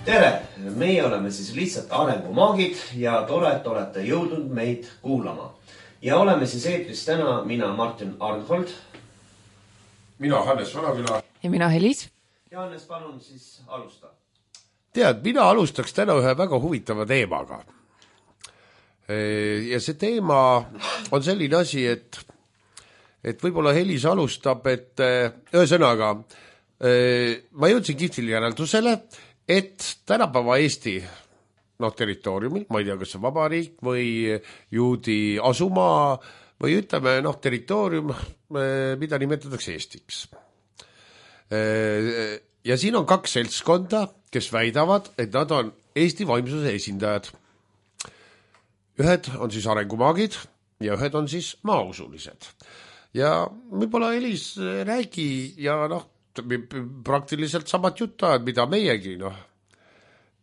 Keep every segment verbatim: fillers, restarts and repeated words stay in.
Tere! Meie oleme siis lihtsalt arengumaagid ja tore, et olete jõudnud meid kuulama. Ja oleme siis eetris täna mina Martin Arnhold. Mina Hannes Vanaküla. Ja mina Helis. Ja Hannes, palun siis alusta. Tead, mina alustaks täna ühe väga huvitava teemaga. Ja see teema on selline asi, et, et võib-olla Helis alustab, et ühesõnaga, ma jõudsin kihvtil järeldusele, et tänapäeva Eesti no, territooriumil, ma ei tea, kas see vabariik või juudi asumaa või ütleme noh, territoorium, mida nimetatakse Eestiks. Ja siin on kaks seltskonda, kes väidavad, et nad on Eesti vaimsuse esindajad. Ühed on siis arengumaagid ja ühed on siis maausulised. Ja võib-olla Elis räägi ja noh, praktiliselt samat juttu, mida meiegi, noh.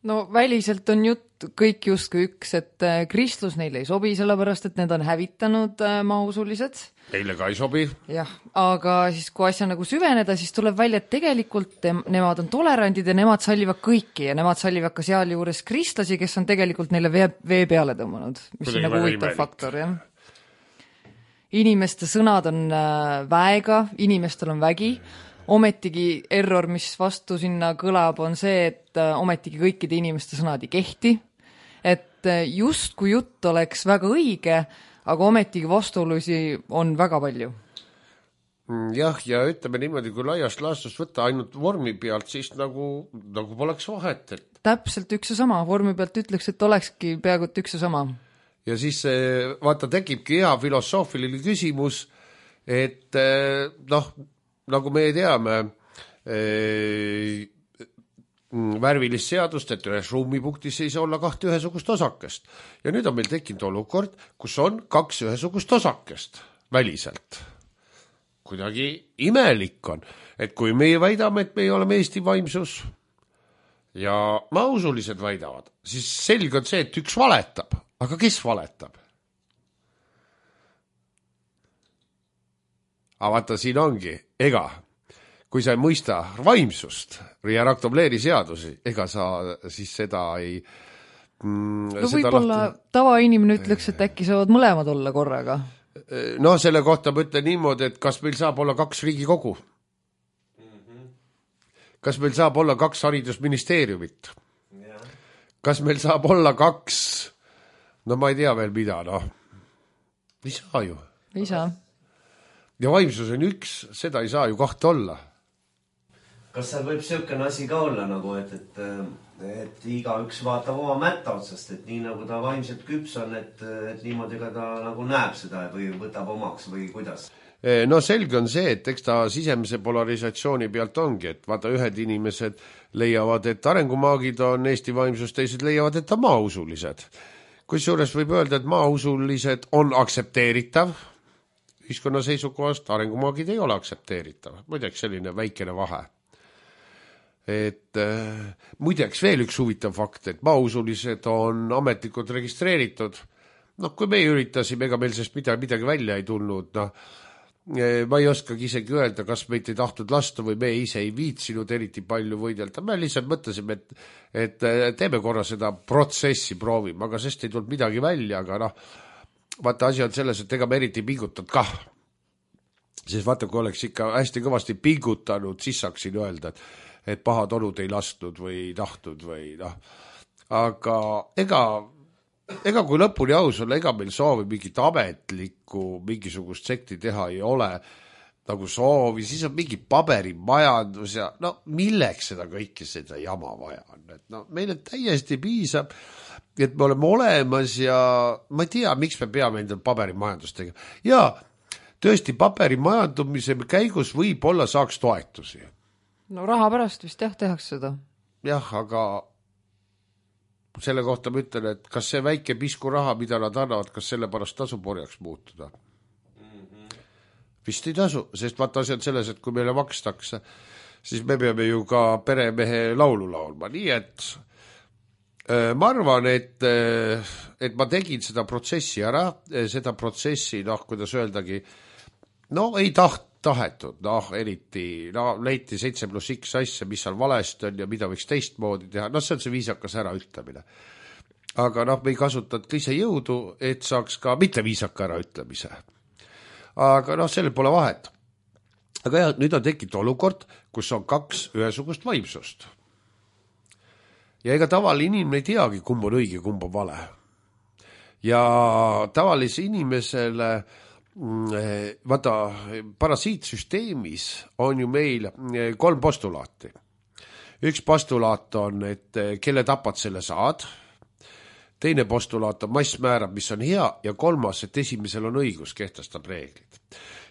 No väliselt on jutt kõik justkui üks, et kristlus neile ei sobi, sellepärast, et need on hävitanud maausulised. Neile ka ei sobi. Jah, aga siis kui asja nagu süveneda, siis tuleb välja, et tegelikult nemad on tolerandid ja nemad sallivad kõiki ja nemad sallivad ka seal juures kristlasi, kes on tegelikult neile vee, vee peale tõmmanud, mis Kuidagi on nagu huvitav faktor, jah. Inimeste sõnad on väega, inimestel on vägi. Ometigi error, mis vastu sinna kõlab, on see, et ometigi kõikide inimeste sõnad ei kehti. Et just kui jutt oleks väga õige, aga ometigi vastuolusi on väga palju. Jah, ja ütleme niimoodi, kui laiast laastust võtta ainult vormi pealt, siis nagu, nagu poleks vahet. Et... Täpselt üks ja sama. Vormi pealt ütleks, et olekski peaaegu üks ja sama. Ja siis vaata tekibki hea filosoofiline küsimus, et noh, nagu me teame äh, värvilist seadust, et ühes ruumipunktis ei saa olla kahte ühesugust osakest. Ja nüüd on meil tekkinud olukord, kus on kaks ühesugust osakest väliselt. Kuidagi imelik on, et kui meie väidame, et me oleme Eesti vaimsus ja mausulised väidavad, siis selge on see, et üks valetab. Aga kes valetab? Aga vaata, siin ongi, ega, kui sa ei mõista vaimsust ja raktobleeri seadusi, ega sa siis seda ei... Mm, no võib-olla lahti... tavainimene ütleks, et äkki saavad mõlemad olla korraga. No selle kohta ma ütlen niimoodi, et kas meil saab olla kaks riigikogu? Mm-hmm. Kas meil saab olla kaks haridusministeeriumit? Yeah. Kas meil saab olla kaks... No ma ei tea veel mida, noh. Ei saa ju. Ei saa. Ja vaimsus on üks, seda ei saa ju kahte olla. Kas seal võib selline asi ka olla, nagu, et, et, et iga üks vaatab oma mätta otsast, et nii nagu ta vaimselt küps on, et, et niimoodi ka ta nagu näeb seda või võtab omaks või kuidas? No selge on see, et eks ta sisemise polarisatsiooni pealt ongi, et vaata ühed inimesed leiavad, et arengumaagid on Eesti vaimsus, teised leiavad, et ta maausulised. Kusjuures võib öelda, et maausulised on aktsepteeritav, ühiskonna seisukohast arengumaagid ei ole aktsepteeritav. Muideks selline väikene vahe. Et äh, muideks veel üks huvitav fakt, et maausulised on ametlikult registreeritud. Noh, kui me üritasime, ega meil sest midagi, midagi välja ei tulnud, noh, ma ei oskagi isegi öelda, kas meid ei tahtnud lasta või me ise ei viitsinud eriti palju võidelda. Me lihtsalt mõtlesime, et, et teeme korra seda protsessi proovime, aga sest ei tulnud midagi välja, aga noh, vaata asi on selles, et ega me eriti pingutanud kah. Siis vaata, kui oleks ikka hästi kõvasti pingutanud, siis saaksin öelda, et, et pahad olud ei lastud või ei tahtnud või noh. Aga ega... Ega kui lõpuni aus olla, ega meil soovi mingit ametlikku, mingisugust sekti teha ei ole nagu soovi, siis on mingi paberimajandus ja no milleks seda kõike seda jama vaja on. Et no, meile täiesti piisab, et me oleme olemas ja ma ei tea, miks me peame endal paberimajandust tegema. Ja tõesti paberimajandumise käigus võib-olla saaks toetusi. No raha pärast vist jah, tehaks seda. Jah, aga... selle kohta ma ütlen, et kas see väike pisku raha, mida nad annavad, kas selle pärast tasu porjaks muutuda? Mm-hmm. Vist ei tasu, sest vaata asi on selles, et kui meile makstakse, siis me peame ju ka peremehe laulu laulma. Nii et äh, ma arvan, et, äh, et ma tegin seda protsessi ära, seda protsessi, noh, kuidas öeldagi, no ei taht, tahetud, noh, eriti, no leiti seitse pluss X asja, mis seal valesti on ja mida võiks teistmoodi teha, noh, see on see viisakas äraütlemine. Aga noh, me ei kasutanud ka ise jõudu, et saaks ka mitte viisaka äraütlemise. Aga noh, sellel pole vahet. Aga jah, nüüd on tekkinud olukord, kus on kaks ühesugust vaimsust. Ja ega tavaline inimene ei teagi, kumb on õige, kumb on vale. Ja tavalise inimesele, vaata, parasiitsüsteemis on ju meil kolm postulaati. Üks postulaat on, et kelle tapad, selle saad. Teine postulaat on mass määrab, mis on hea, ja kolmas, et esimesel on õigus, kehtestab reeglid.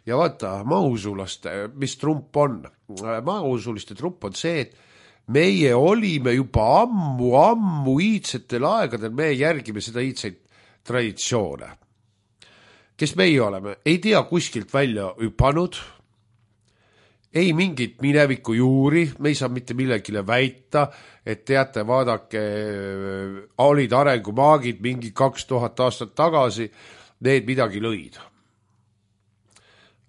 Ja vaata, mausulaste, mis trump on? Mausuliste trump on see, et meie olime juba ammu, ammu iidsetel aegadel, me järgime seda iidseid traditsioone. Kes meie oleme? Ei tea kuskilt välja hüpanud, ei mingit mineviku juuri, me ei saa mitte millegile väita, et teate, vaadake, olid arengumaagid mingi kaks tuhat aastat tagasi, need midagi lõid.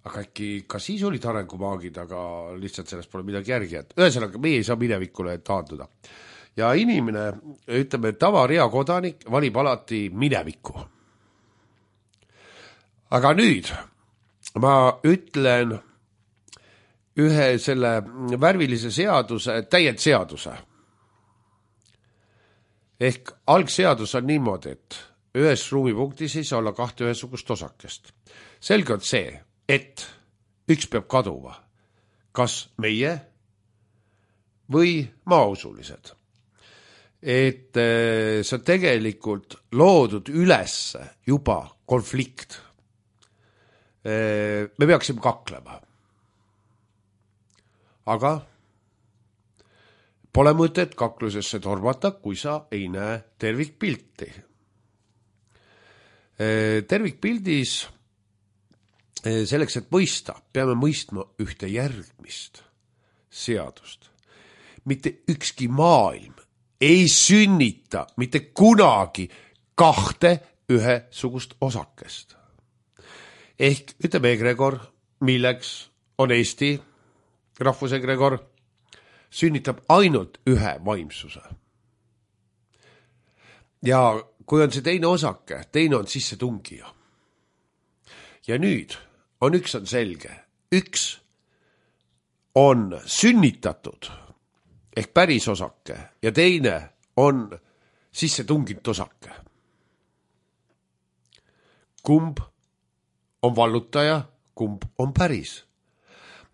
Aga äkki ka siis olid arengumaagid, aga lihtsalt sellest pole midagi järgi. Ühesõnaga, meie ei saa minevikule taanduda. Ja inimene, ütleme, tavaria kodanik valib alati mineviku. Aga nüüd ma ütlen ühe selle värvilise seaduse, täiendseaduse. Ehk algseadus on niimoodi, et ühes ruumipunktis ei saa olla kahte ühesugust osakest. Selge on see, et üks peab kaduma. Kas meie või maausulised. Et see on tegelikult loodud üles juba konflikt. Me peaksime kaklema. Aga pole mõtet kaklusesse tormata, kui sa ei näe tervikpilti. Tervikpildis selleks, et mõista, peame mõistma ühte järgmist seadust. Mitte ükski maailm ei sünnita mitte kunagi kahte ühesugust osakest. Ehk ütleme egregor, milleks on Eesti rahvusegregor, sünnitab ainult ühe vaimsuse. Ja kui on see teine osake, teine on sisse tungija. Ja nüüd on üks on selge. Üks on sünnitatud ehk päris osake ja teine on sisse tunginud osake. Kumb on vallutaja, kumb on päris.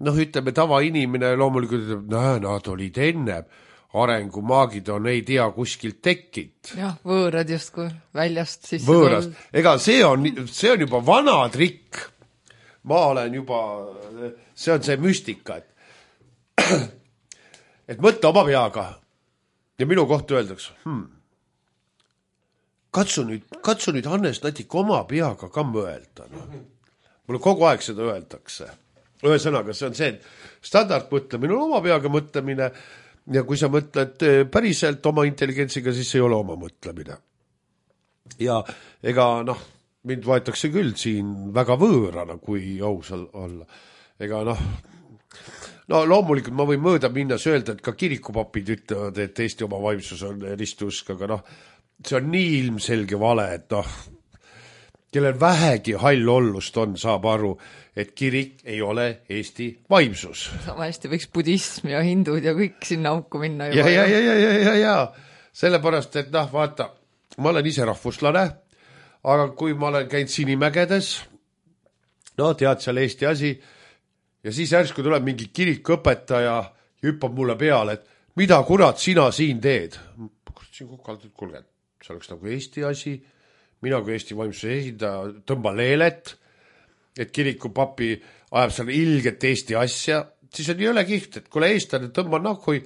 Noh, ütleme, tavainimene loomulikult ütleb, näe, nad olid enne, arengumaagid on ei tea kuskilt tekkid. Jah, võõrad justkui väljast sisse. Võõrast. Ega see on, see on juba vana trikk. Ma olen juba, see on see müstika, et, et mõtle oma peaga. Ja minu kohta öeldakse, hmm, katsu nüüd, katsu nüüd Hannes Natik oma peaga ka mõelda. No. Mulle kogu aeg seda öeldakse. Ühesõnaga, see on see, et standardmõtlemine on oma peaga mõtlemine ja kui sa mõtled päriselt oma intelligentsiga, siis ei ole oma mõtlemine. Ja ega noh, mind võetakse küll siin väga võõrana, kui ausal olla. Ega noh, no loomulikult ma võin mööda minnas öelda, et ka kirikupapid ütlevad, et Eesti oma vaimsus on ristusk, aga noh, see on nii ilmselge vale, et noh, kellel vähegi hall ollust on, saab aru, et kirik ei ole Eesti vaimsus. Sama hästi võiks budism ja hindud ja kõik sinna auku minna. Ja, ja, ja, ja, ja, ja, ja. Sellepärast, et noh, vaata, ma olen ise rahvuslane, aga kui ma olen käinud Sinimägedes, no tead seal Eesti asi, ja siis järsku tuleb mingi kirikõpetaja ja hüppab mulle peale, et mida kurat sina siin teed? Siin kukaldud, kulge, see oleks nagu Eesti asi, mina kui Eesti vaimsuse esindaja tõmba leelet, et kirikupapi ajab seal ilget Eesti asja, siis on jõle kiht, et kuule eestlane tõmba nahkui,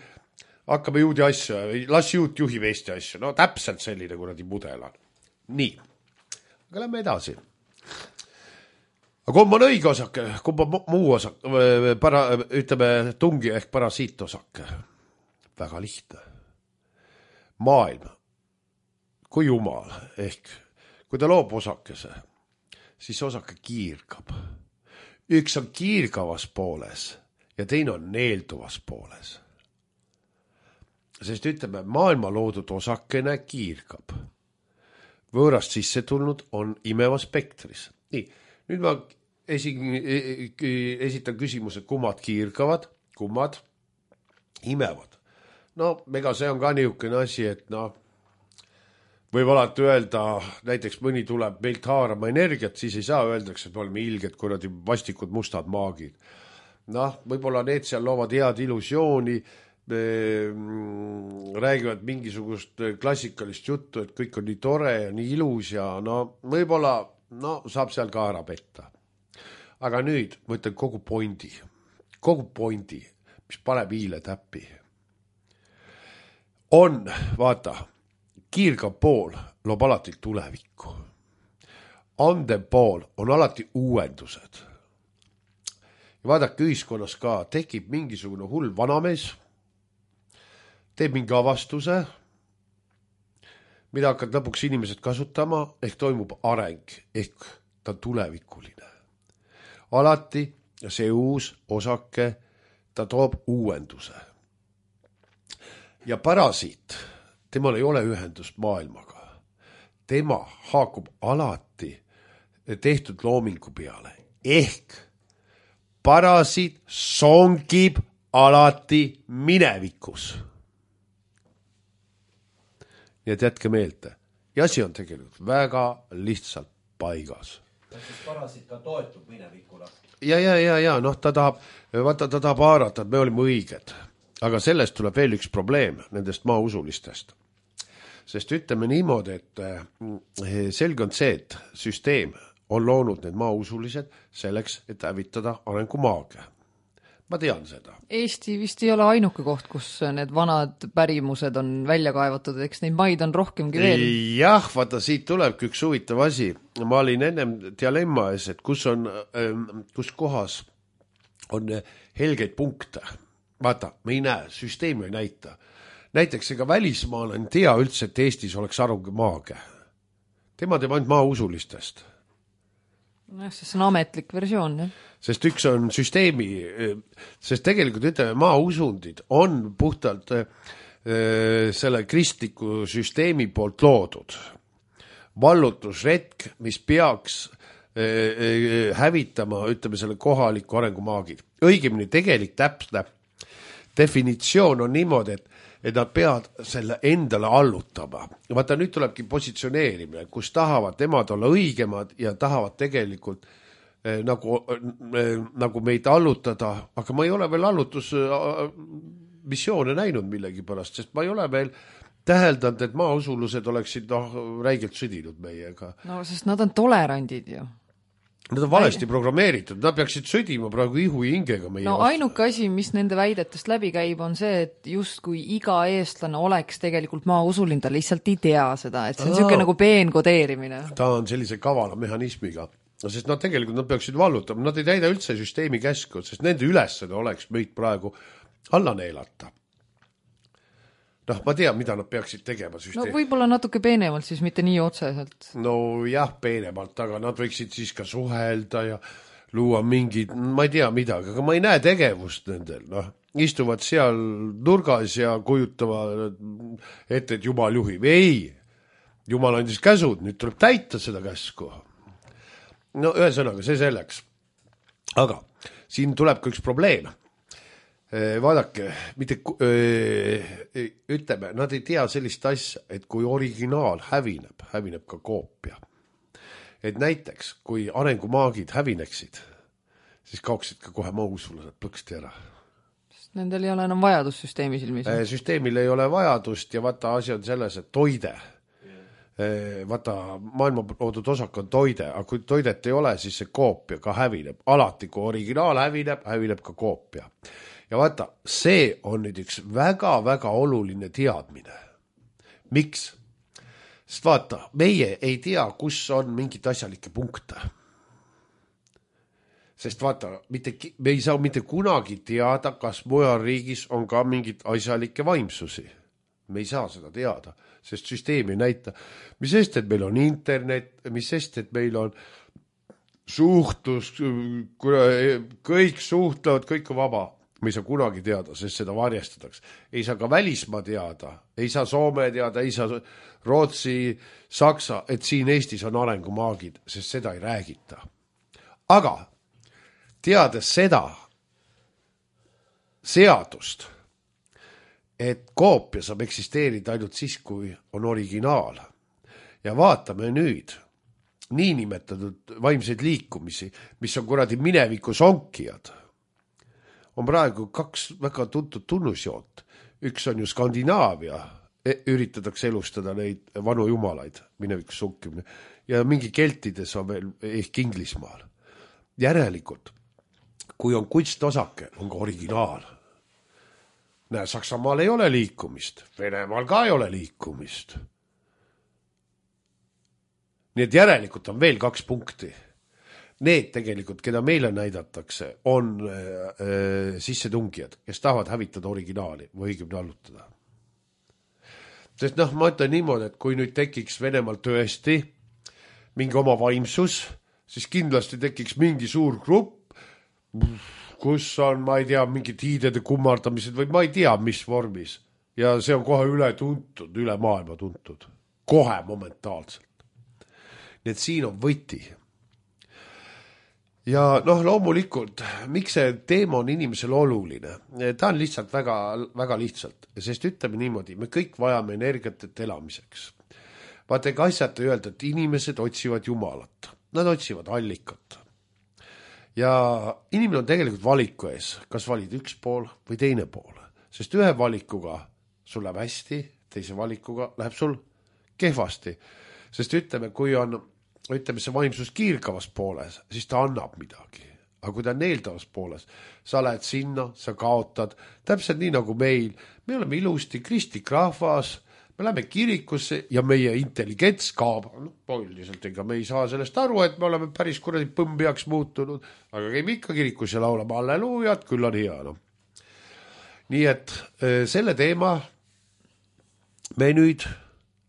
hakkame juudi asja, las juut juhib Eesti asja. No täpselt selline kuradi mudel on. Nii, aga lähme edasi. Aga kumb on õige osake, kumb on muu osake, para, ütleme tungi ehk parasiit osake. Väga lihtne. Maailm, kui jumal ehk kui ta loob osakese, siis osake kiirgab. üks on kiirgavas pooles ja teine on neelduvas pooles. Sest ütleme, maailma loodud osakene kiirgab. Võõrast sisse tulnud on imeva spektris. Nii, nüüd ma esi, esitan küsimused, kummad kiirgavad, kummad imevad. No, ega see on ka niisugune asi, et no, võib alati öelda, näiteks mõni tuleb meilt haarama energiat, siis ei saa öeldakse, et oleme ilged, kuradi vastikud mustad maagid. Noh, võib-olla need seal loovad head illusiooni, räägivad mingisugust klassikalist juttu, et kõik on nii tore ja nii ilus ja no võib-olla no, saab seal ka ära petta. Aga nüüd ma ütlen kogu pointi, kogu pointi, mis paneb hiile täppi. On, vaata, kiirgav pool loob alati tulevikku. Andev pool on alati uuendused. Ja vaadake ühiskonnas ka, tekib mingisugune hull vanamees, teeb mingi avastuse, mida hakkad lõpuks inimesed kasutama, ehk toimub areng, ehk ta on tulevikuline. Alati see uus osake, ta toob uuenduse. Ja parasiit, temal ei ole ühendust maailmaga. Tema haakub alati tehtud loomingu peale. Ehk parasiit songib alati minevikus. Nii et jätke meelde. Ja asi on tegelikult väga lihtsalt paigas. Kas siis parasiit ka toetub minevikule? Ja, ja, ja, ja, noh, ta tahab, vaata, ta tahab haarata, et me olime õiged. Aga sellest tuleb veel üks probleem nendest maausulistest. Sest ütleme niimoodi, et selge on see, et süsteem on loonud need maausulised selleks, et hävitada arengumaage. Ma tean seda. Eesti vist ei ole ainuke koht, kus need vanad pärimused on välja kaevatud, eks neid maid on rohkemgi veel. Jah, vaata, siit tulebki üks huvitav asi. Ma olin ennem dialemma ees, et kus, on, kus kohas on helgeid punkte. Vaata, me ei näe, süsteemi ei näita. Näiteks ega välismaal on tea üldse, et Eestis oleks arengumaage. Tema teeb ainult maausulistest. No, see on ametlik versioon, jah. Sest üks on süsteemi, sest tegelikult ütleme, maausundid on puhtalt äh, selle kristliku süsteemi poolt loodud. Vallutusretk, mis peaks äh, hävitama, ütleme, selle kohaliku arengumaagid. Õigemini tegelik täpne definitsioon on niimoodi, et et nad peavad selle endale allutama. Vaata, nüüd tulebki positsioneerimine, kus tahavad nemad olla õigemad ja tahavad tegelikult eh, nagu, eh, nagu meid allutada, aga ma ei ole veel allutusmissioone näinud millegi pärast, sest ma ei ole veel täheldanud, et maausulused oleksid noh, räigelt sõdinud meiega. No, sest nad on tolerandid ju. Nad on valesti programmeeritud, nad peaksid sõdima praegu ihu ja hingega meie no vastu. Ainuke asi, mis nende väidetest läbi käib, on see, et just kui iga eestlane oleks tegelikult maausulin, ta lihtsalt ei tea seda, et see on niisugune nagu peenkodeerimine. Ta on sellise kavala mehhanismiga, sest nad tegelikult nad peaksid vallutama, nad ei täida üldse süsteemi käsku, sest nende ülesed oleks meid praegu alla neelata. Noh, ma tean, mida nad peaksid tegema süsteemi. No võib-olla natuke peenemalt, siis mitte nii otseselt. No jah, peenemalt, aga nad võiksid siis ka suhelda ja luua mingid, ma ei tea midagi, aga ma ei näe tegevust nendel, noh. Istuvad seal nurgas ja kujutavad ette, et Jumal juhib. Ei, Jumal andis käsud, nüüd tuleb täita seda käsku. No ühesõnaga, see selleks. Aga siin tuleb ka üks probleem. Vaadake, mitte, ütleme, nad ei tea sellist asja, et kui originaal hävineb, hävineb ka koopia. Et näiteks, kui arengumaagid hävineksid, siis kaoksid ka kohe mausulased plõksti ära. Sest nendel ei ole enam vajadust süsteemi silmis. Süsteemil ei ole vajadust ja vaata asi on selles, et toide. Vaata, maailma loodud osak on toide, aga kui toidet ei ole, siis see koopia ka hävineb. Alati, kui originaal hävineb, hävineb ka koopia. Ja vaata, see on nüüd üks väga-väga oluline teadmine. Miks? Sest vaata, meie ei tea, kus on mingit asjalikke punkte. Sest vaata, mitte, me ei saa mitte kunagi teada, kas mujal riigis on ka mingit asjalikke vaimsusi. Me ei saa seda teada, sest süsteem ei näita. Mis sest, et meil on internet, mis sest, et meil on suhtlus, kõik suhtlevad, kõik on vaba. Me ei saa kunagi teada, sest seda varjestatakse. Ei saa ka välismaa teada, ei saa Soome teada, ei saa Rootsi, Saksa, et siin Eestis on arengumaagid, sest seda ei räägita. Aga teades seda seadust, et koopia saab eksisteerida ainult siis, kui on originaal. Ja vaatame nüüd niinimetatud vaimseid liikumisi, mis on kuradi minevikus onkijad. On praegu kaks väga tuntud tunnusjoont. Üks on ju Skandinaavia, üritatakse elustada neid vanu jumalaid, minevikus onkimine. Ja mingi keltides on veel ehk Inglismaal. Järelikult, kui on kunstosake, on ka originaal. Näe, Saksamaal ei ole liikumist, Venemaal ka ei ole liikumist. Nii et järelikult on veel kaks punkti. Need tegelikult, keda meile näidatakse, on äh, sissetungijad, kes tahavad hävitada originaali või õigemini allutada. Sest noh, ma ütlen niimoodi, et kui nüüd tekiks Venemaal tõesti mingi oma vaimsus, siis kindlasti tekiks mingi suur grupp, kus on, ma ei tea, mingid hiidede kummardamised või ma ei tea, mis vormis. Ja see on kohe üle tuntud, üle maailma tuntud. Kohe momentaalselt. Nii et siin on võti. Ja noh, loomulikult, miks see teema on inimesel oluline? Ta on lihtsalt väga, väga lihtsalt, sest ütleme niimoodi, me kõik vajame energiat et elamiseks. Vaata, ega asjata öelda, et inimesed otsivad jumalat. Nad otsivad allikat. Ja inimene on tegelikult valiku ees, kas valid üks pool või teine pool. Sest ühe valikuga sul läheb hästi, teise valikuga läheb sul kehvasti. Sest ütleme, kui on ütleme see vaimsus kiirgavas pooles, siis ta annab midagi. Aga kui ta on neeldavas pooles, sa lähed sinna, sa kaotad, täpselt nii nagu meil. Me oleme ilusti kristlik rahvas, me läheme kirikusse ja meie intelligents kaab. No, põhiliselt ega me ei saa sellest aru, et me oleme päris kuradi põmbiaks muutunud, aga käime ikka kirikus ja laulame halleluujat, küll on hea. No. Nii et selle teema me nüüd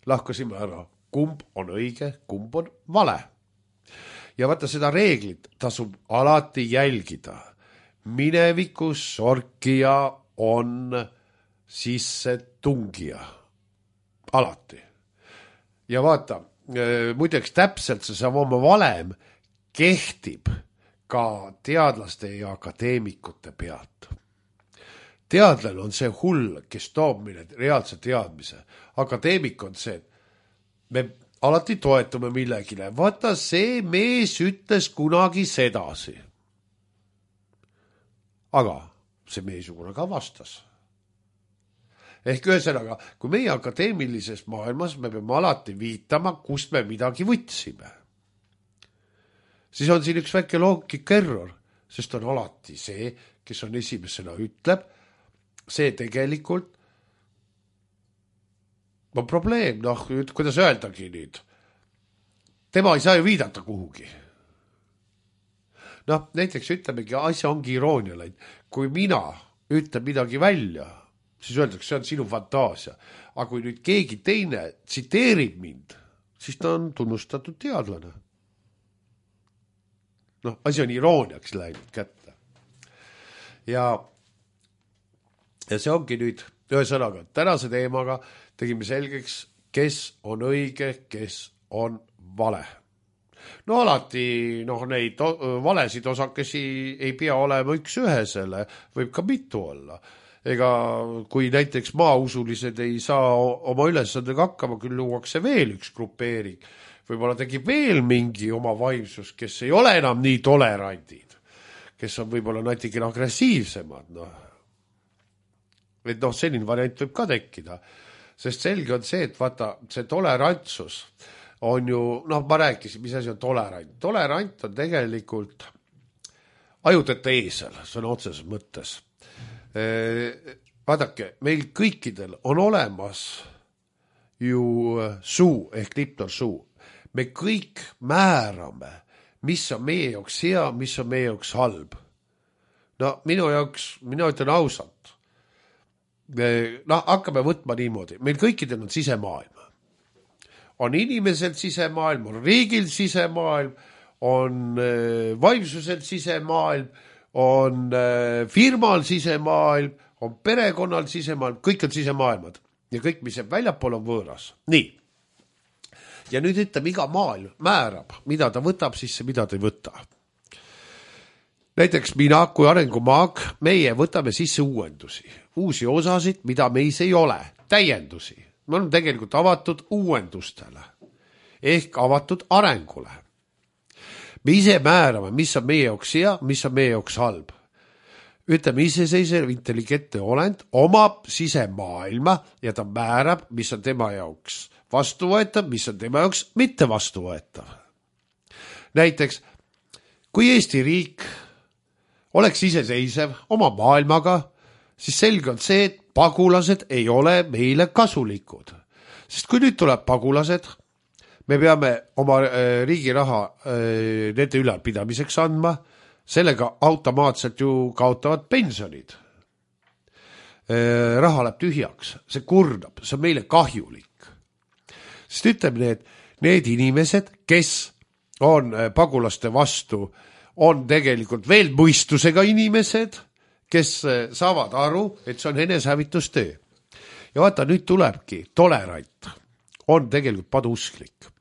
lahkasime ära. Kumb on õige, kumb on vale. Ja vaata seda reeglit tasub alati jälgida. Minevikus sorkija on sisse tungija. Alati. Ja vaata, muideks täpselt see sama valem kehtib ka teadlaste ja akadeemikute pealt. Teadlane on see hull, kes toob meile reaalse teadmise. Akadeemik on see, me alati toetume millegile. Vaata, see mees ütles kunagi sedasi. Aga see mees ka vastas. Ehk ühesõnaga, kui meie akadeemilises maailmas me peame alati viitama, kust me midagi võtsime, siis on siin üks väike loogika error, sest on alati see, kes on esimesena ütleb, see tegelikult on probleem, noh, kuidas öeldagi nüüd. Tema ei saa ju viidata kuhugi. Noh, näiteks ütlemegi, asja ongi iroonia läinud. Kui mina ütlen midagi välja, siis öeldakse, see on sinu fantaasia. Aga kui nüüd keegi teine tsiteerib mind, siis ta on tunnustatud teadlane. Noh, asi on irooniaks läinud kätte. Ja, ja see ongi nüüd ühesõnaga, tänase teemaga tegime selgeks, kes on õige, kes on vale. No alati noh, neid valesid osakesi ei pea olema üks ühesele, võib ka mitu olla. Ega kui näiteks maausulised ei saa oma ülesandega hakkama, küll luuakse veel üks grupeering. Võib-olla tegib veel mingi oma vaimsus, kes ei ole enam nii tolerandid, kes on võib-olla natikene agressiivsemad. No. Et noh, selline variant võib ka tekkida. Sest selge on see, et vaata, see tolerantsus on ju, noh, ma rääkisin, mis asi on tolerant. Tolerant on tegelikult ajuteta eesel, see on otseses mõttes. Vaadake, meil kõikidel on olemas ju suu ehk liptorsuu. Me kõik määrame, mis on meie jaoks hea, mis on meie jaoks halb. No minu jaoks, mina ütlen ausalt, noh, hakkame võtma niimoodi. Meil kõikidel on sisemaailm. On inimesel sisemaailm, on riigil sisemaailm, on vaimsusel sisemaailm, on firmal sisemaailm, on perekonnal sisemaailm, kõik on sisemaailmad ja kõik, mis jääb väljapool, on võõras. Nii. Ja nüüd ütleb, iga maailm määrab, mida ta võtab sisse, mida ta ei võta. Näiteks mina kui arengumaag, meie võtame sisse uuendusi, uusi osasid, mida meis ei ole, täiendusi. Me oleme tegelikult avatud uuendustele ehk avatud arengule. Me ise määrame, mis on meie jaoks hea, mis on meie jaoks halb. Ütleme, iseseisev intelligentne olend omab sisemaailma ja ta määrab, mis on tema jaoks vastuvõetav, mis on tema jaoks mitte vastuvõetav. Näiteks, kui Eesti riik oleks iseseisev oma maailmaga, siis selge on see, et pagulased ei ole meile kasulikud. Sest kui nüüd tuleb pagulased, me peame oma riigi raha nende ülalpidamiseks andma, sellega automaatselt ju kaotavad pensionid. Raha läheb tühjaks, see kurnab, see on meile kahjulik. Sest ütleme need, need inimesed, kes on pagulaste vastu, on tegelikult veel mõistusega inimesed, kes saavad aru, et see on enesehävitustöö. Ja vaata, nüüd tulebki tolerant, on tegelikult paduusklik.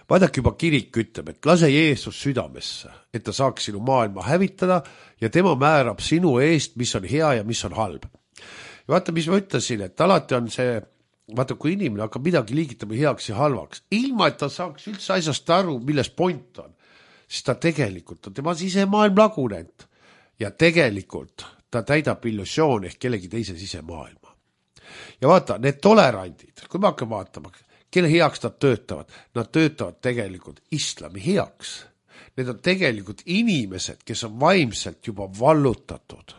Vaadake, juba kirik ütleb, et lase Jeesus südamesse, et ta saaks sinu maailma hävitada ja tema määrab sinu eest, mis on hea ja mis on halb. Ja vaata, mis ma ütlesin, et alati on see, vaata, kui inimene hakkab midagi liigitama heaks ja halvaks, ilma et ta saaks üldse asjast aru, milles point on, siis ta tegelikult on tema sisemaailm lagunenud ja tegelikult ta täidab illusioon ehk kellegi teise sisemaailma. Ja vaata, need tolerandid, kui me hakkame vaatama, kelle heaks nad töötavad, nad töötavad tegelikult islami heaks. Need on tegelikult inimesed, kes on vaimselt juba vallutatud.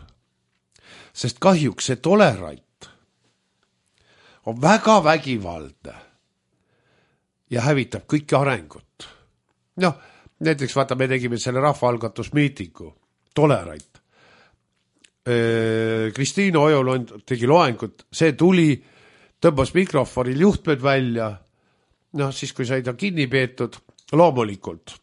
Sest kahjuks see tolerant on väga vägivaldne ja hävitab kõiki arengut. Noh, näiteks vaata, me tegime selle rahvaalgatusmiitingu, tolerant. Kristiina Ojolond tegi loengut, see tuli, tõmbas mikrofonil juhtmed välja, noh siis kui sai ta kinni peetud, loomulikult.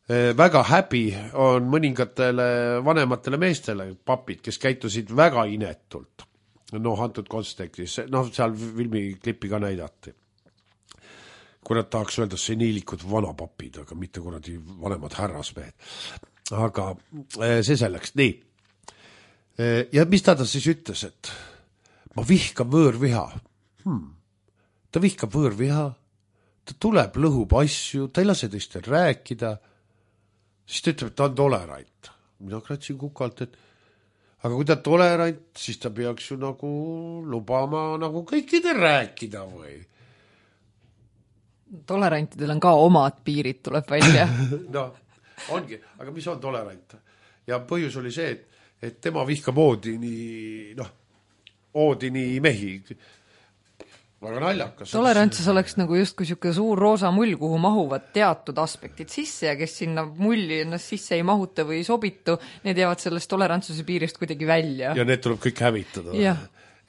Väga häbi on mõningatele vanematele meestele papid, kes käitusid väga inetult. Noh, antud kontekstis, noh seal filmiklippi ka näidati. Kui nad tahaks öelda, see niilikud vanapapid, aga mitte kuradi vanemad härrasmehed. Aga see selleks, nii. Ja mis ta ta siis ütles, et ma vihkan võõrviha. Hmm. Ta vihkab võõrviha, ta tuleb, lõhub asju, ta ei lase teistel rääkida, siis ta ütleb, et ta on tolerant. Mina kratsin kukalt, et aga kui ta tolerant, siis ta peaks ju nagu lubama nagu kõikidel rääkida või? Tolerantidel on ka omad piirid, tuleb välja. No, ongi, aga mis on tolerant? Ja põhjus oli see, et, et tema vihkab Oodini, noh, Oodini mehi. Väga naljakas. Tolerantsus oleks nagu justkui siuke suur roosa mull, kuhu mahuvad teatud aspektid sisse ja kes sinna mulli ennast sisse ei mahuta või ei sobitu, need jäävad sellest tolerantsuse piirist kuidagi välja. Ja need tuleb kõik hävitada. Ja.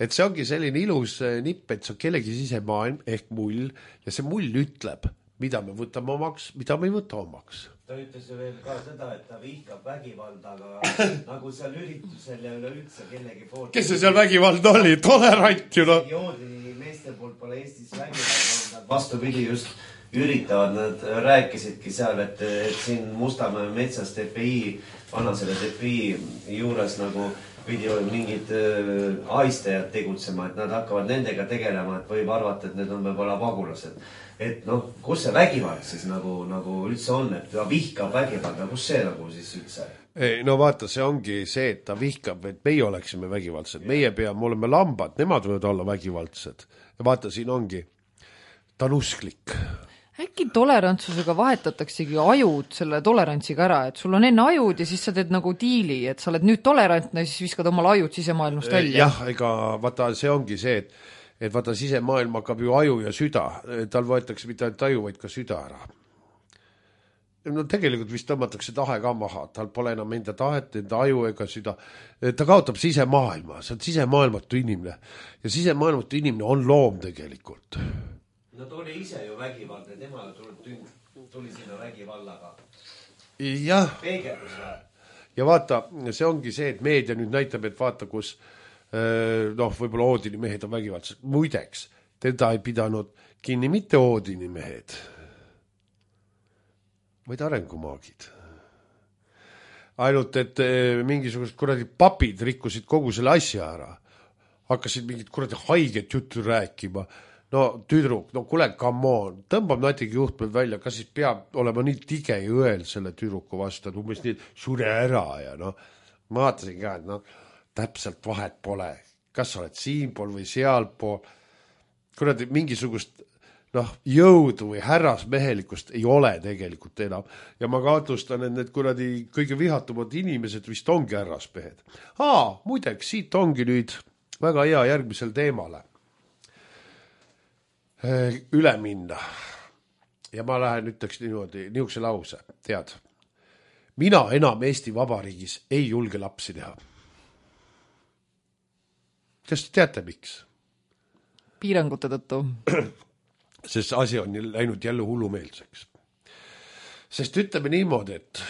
Et see ongi selline ilus nipp, et see on kellegi sisemaailm ehk mull ja see mull ütleb, mida me võtame omaks, mida me ei võta omaks. Ta ütles ju veel ka seda, et ta vihkab vägivalda, aga nagu seal üritusel ja üleüldse kellegi poolt. Kes see seal vägivalda oli? Tolerant ju no. Joodi meeste poolt pole Eestis vägivalda. Vastupidi just üritavad, nad rääkisidki seal, et, et siin Mustamäe metsas T P I, vana selle T P I juures nagu pidi mingid äh, aistajad tegutsema, et nad hakkavad nendega tegelema, et võib arvata, et need on võib-olla pagulased. Et noh, kus see vägivald siis nagu, nagu üldse on, et ta vihkab vägivalda, kus see nagu siis üldse? Ei, no vaata, see ongi see, et ta vihkab, et meie oleksime vägivaldsed, meie peame olema lambad, nemad võivad olla vägivaldsed. Ja vaata, siin ongi, ta on usklik. Äkki tolerantsusega vahetataksegi ajud selle tolerantsiga ära, et sul on enne ajud ja siis sa teed nagu diili, et sa oled nüüd tolerantne ja siis viskad omal ajud sisemaailmast välja. Jah, ega vaata, see ongi see, et, et vaata, sisemaailm hakkab ju aju ja süda. Tal võetakse mitte ainult aju, vaid ka süda ära. No tegelikult vist tõmmatakse tahe ka maha, tal pole enam enda tahet, enda aju ega süda. Ta kaotab sisemaailma, see on sisemaailmatu inimene. Ja sisemaailmatu inimene on loom tegelikult. No ta oli ise ju vägivaldne, tema tuleb tuli sinna vägivallaga. Jah. Peegeldus või? Ja vaata, see ongi see, et meedia nüüd näitab, et vaata, kus noh, võib-olla Oodini mehed on vägivaldsed. Muideks, teda ei pidanud kinni mitte Oodini mehed, vaid arengumaagid. Ainult, et mingisugused kuradi papid rikkusid kogu selle asja ära. Hakkasid mingid kuradi haiget juttu rääkima. No tüdruk, no kule, come on, tõmbab natigi juhtmed välja, kas siis peab olema nii tige õel selle tüdruku vastu, et umbes nii, sure ära ja noh, ma vaatasin ka, et noh, täpselt vahet pole, kas sa oled siinpool või sealpool, kuradi mingisugust noh, jõudu või härrasmehelikust ei ole tegelikult enam. Ja ma kahtlustan, et need kuradi kõige vihatumad inimesed vist ongi härrasmehed. Aa, muideks, siit ongi nüüd väga hea järgmisel teemale üle minna. Ja ma lähen ütleks niimoodi, niisuguse lause, tead. Mina enam Eesti Vabariigis ei julge lapsi teha. Kas te teate, miks? Piirangute tõttu. Sest asi on läinud jälle hullumeelseks. Sest ütleme niimoodi, et,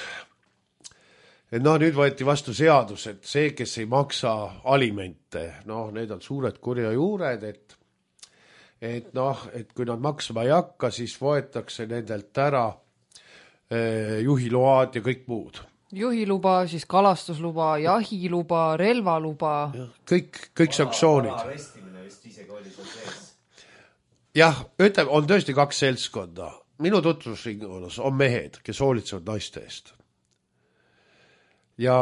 et noh, nüüd võeti vastu seadus, et see, kes ei maksa alimente, noh, need on suured kurja juured, et et noh, et kui nad maksma ei hakka, siis võetakse nendelt ära eh, juhiload ja kõik muud. Juhiluba, siis kalastusluba, jahiluba, relvaluba. Kõik, kõik sanktsioonid. Arestimine vist isegi oli seal sees. Jah, ütleme, on tõesti kaks seltskonda. Minu tutvusringonas on mehed, kes hoolitsevad naiste eest. Ja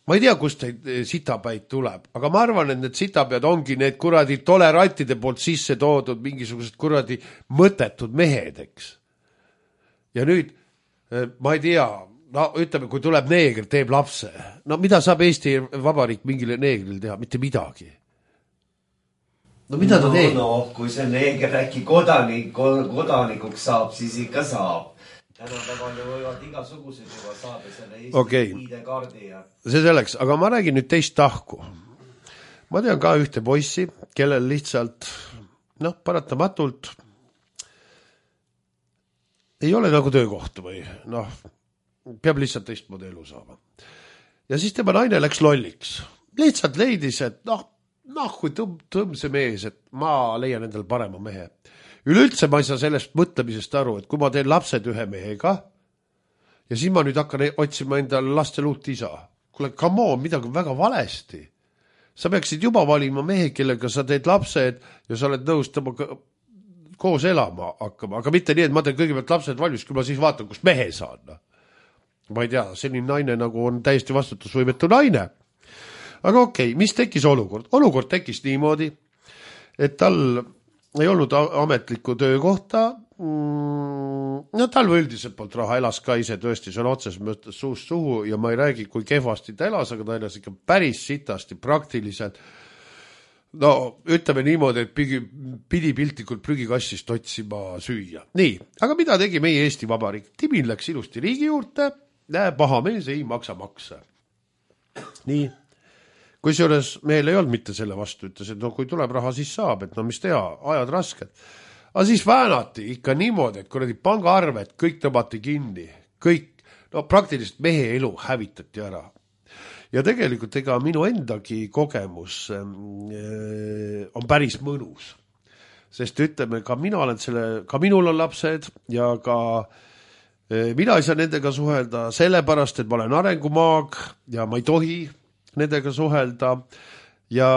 ma ei tea, kust sitapäid tuleb, aga ma arvan, et need sitapäid ongi need kuradi tolerantide poolt sisse toodud mingisugused kuradi mõttetud mehed, eks. Ja nüüd, ma ei tea, no ütleme, kui tuleb neeger, teeb lapse, no mida saab Eesti Vabariik mingile neegril teha? Mitte midagi. No mida ta no, teeb? No, kui see neeger äkki kodanik, kodanikuks saab, siis ikka saab. Tänapäeval võivad igasugused juba saada selle Eesti okay. ID-kaardi ja... See selleks, aga ma räägin nüüd teist tahku. Ma tean ka ühte poissi, kellel lihtsalt, noh, paratamatult ei ole nagu töökohta või, noh, peab lihtsalt teistmoodi elu saama. Ja siis tema naine läks lolliks. Lihtsalt leidis, et noh, noh kui tõmb, tõmb see mees, et ma leian endal parema mehe. Üleüldse ma ei saa sellest mõtlemisest aru, et kui ma teen lapsed ühe mehega ja siis ma nüüd hakkan otsima endale lastel uut isa. Kuule, come on, midagi väga valesti. Sa peaksid juba valima mehe, kellega sa teed lapsed ja sa oled nõus temaga koos elama hakkama. Aga mitte nii, et ma teen kõigepealt lapsed valmis, kui ma siis vaatan, kus mehe saan. Ma ei tea, selline naine nagu on täiesti vastutusvõimetu naine. Aga okei, mis tekkis olukord? Olukord tekkis niimoodi, et tal ei olnud ametlikku töökohta, no tal üldiselt poolt raha elas ka ise tõesti, see on otses mõttes suust suhu ja ma ei räägi, kui kehvasti ta elas, aga ta elas ikka päris sitasti praktiliselt. No ütleme niimoodi, et pidi, pidi piltlikult prügikassist otsima süüa. Nii, aga mida tegi meie Eesti Vabariik? Timin läks ilusti riigi juurde, paha mees ei maksa makse. Nii. Kui seejuures meil ei olnud mitte selle vastu, ütles, et no kui tuleb raha, siis saab, et no mis teha, ajad rasked. Aga siis väänati ikka niimoodi, et kuradi pangaarved kõik tõmmati kinni, kõik, no praktiliselt mehe elu hävitati ära. Ja tegelikult ega minu endagi kogemus äh, on päris mõnus. Sest ütleme, ka mina olen selle, ka minul on lapsed ja ka äh, mina ei saa nendega suhelda sellepärast, et ma olen arengumaag ja ma ei tohi nendega suhelda ja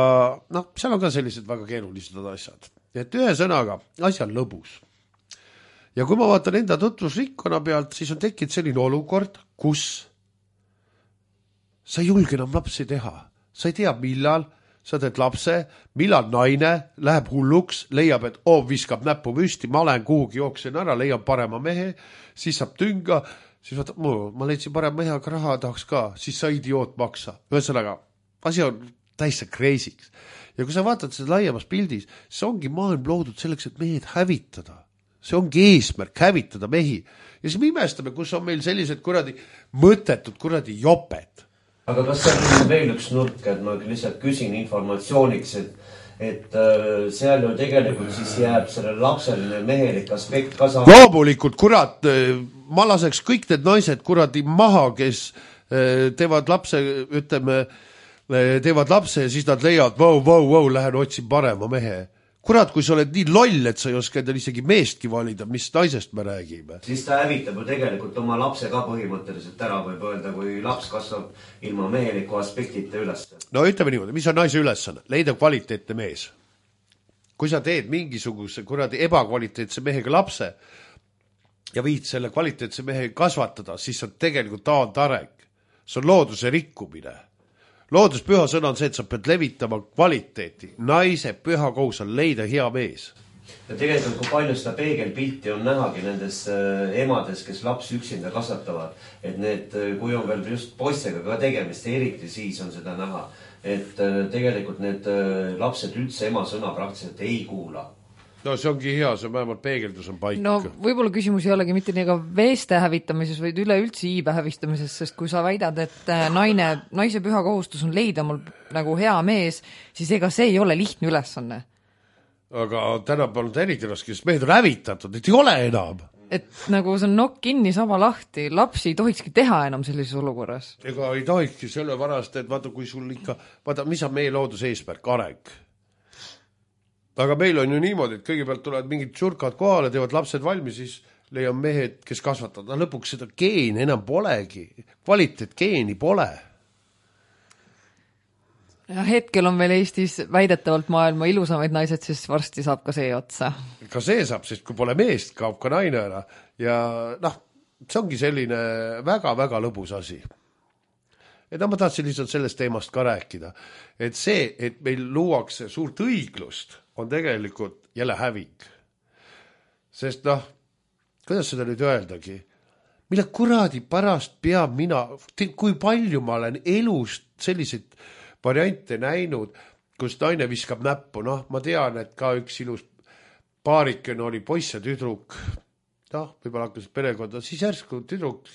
noh, seal on ka sellised väga keerulised asjad. Et ühe sõnaga, asja on lõbus. Ja kui ma vaatan enda tutvusrikkonna pealt, siis on tekkinud selline olukord, kus sa ei julge enam lapsi teha. Sa ei tea, millal sa teed lapse, millal naine läheb hulluks, leiab, et oo, viskab näppu püsti, ma olen kuhugi jooksen ära, leiab parema mehe, siis saab tünga, siis vaata, ma leidsin parem mehe, aga raha tahaks ka, siis sa idioot maksa. Ühesõnaga, asi on täiesti crazy'ks. Ja kui sa vaatad seda laiemas pildis, see ongi maailm loodud selleks, et mehed hävitada. See ongi eesmärk, hävitada mehi. Ja siis me imestame, kus on meil sellised kuradi mõttetud kuradi joped. Aga kas see on veel üks nurk, et ma lihtsalt küsin informatsiooniks, et, et äh, seal ju tegelikult siis jääb sellele lapseline mehelik aspekt ka saama. Loomulikult, kurat, ma laseks kõik need naised kuradi maha, kes teevad lapse, ütleme, teevad lapse ja siis nad leiavad, vau, vau, vau, lähen otsin parema mehe. Kurat, kui sa oled nii loll, et sa ei oska endale isegi meestki valida, mis naisest me räägime. Siis ta hävitab ju tegelikult oma lapse ka põhimõtteliselt ära, võib öelda, kui laps kasvab ilma meheliku aspektita üles. No ütleme niimoodi, mis on naise ülesanne? Leida kvaliteetne mees. Kui sa teed mingisuguse kuradi ebakvaliteetse mehega lapse ja viid selle kvaliteetse mehe kasvatada, siis on tegelikult taandareng. See on looduse rikkumine. Loodus püha sõna on see, et sa pead levitama kvaliteeti. Naise püha kohus on leida hea mees. Ja tegelikult kui palju seda peegelpilti on nähagi nendes äh, emades, kes laps üksinda kasvatavad, et need, kui on veel just poistega ka tegemist, eriti siis on seda näha, et äh, tegelikult need äh, lapsed üldse ema sõna praktiliselt ei kuula. No see ongi hea, see vähemalt peegeldus on paik. No võib-olla küsimus ei olegi mitte nii ka veeste hävitamises, vaid üleüldse iibe hävistamises, sest kui sa väidad, et naine, naise püha kohustus on leida mul nagu hea mees, siis ega see ei ole lihtne ülesanne. Aga täna polnud eriti raske, sest mehed on hävitatud, et ei ole enam. Et nagu see on nokk kinni, saba lahti, lapsi ei tohikski teha enam sellises olukorras. Ega ei tohikski selle varast, et vaata, kui sul ikka, vaata, mis on meie looduse eesmärk, areng. Aga meil on ju niimoodi, et kõigepealt tulevad mingid tšurkad kohale, teevad lapsed valmis, siis leiab mehed, kes kasvatavad. Lõpuks seda geeni enam polegi. Kvaliteet geeni pole. Ja hetkel on veel Eestis väidetavalt maailma ilusamaid naised, siis varsti saab ka see otsa. Ka see saab, sest kui pole meest, kaob ka naine ära. Ja noh, see ongi selline väga-väga lõbus asi. Et ma tahtsin lihtsalt sellest teemast ka rääkida. Et see, et meil luuakse suurt õiglust, on tegelikult jälle häving. Sest noh, kuidas seda nüüd öeldagi? Mille kuradi pärast peab mina, kui palju ma olen elust selliseid variante näinud, kus naine viskab näppu. Noh, ma tean, et ka üks ilus paariken oli poiss ja tüdruk. Noh, võib-olla hakkas perekonda. Siis järsku tüdruk,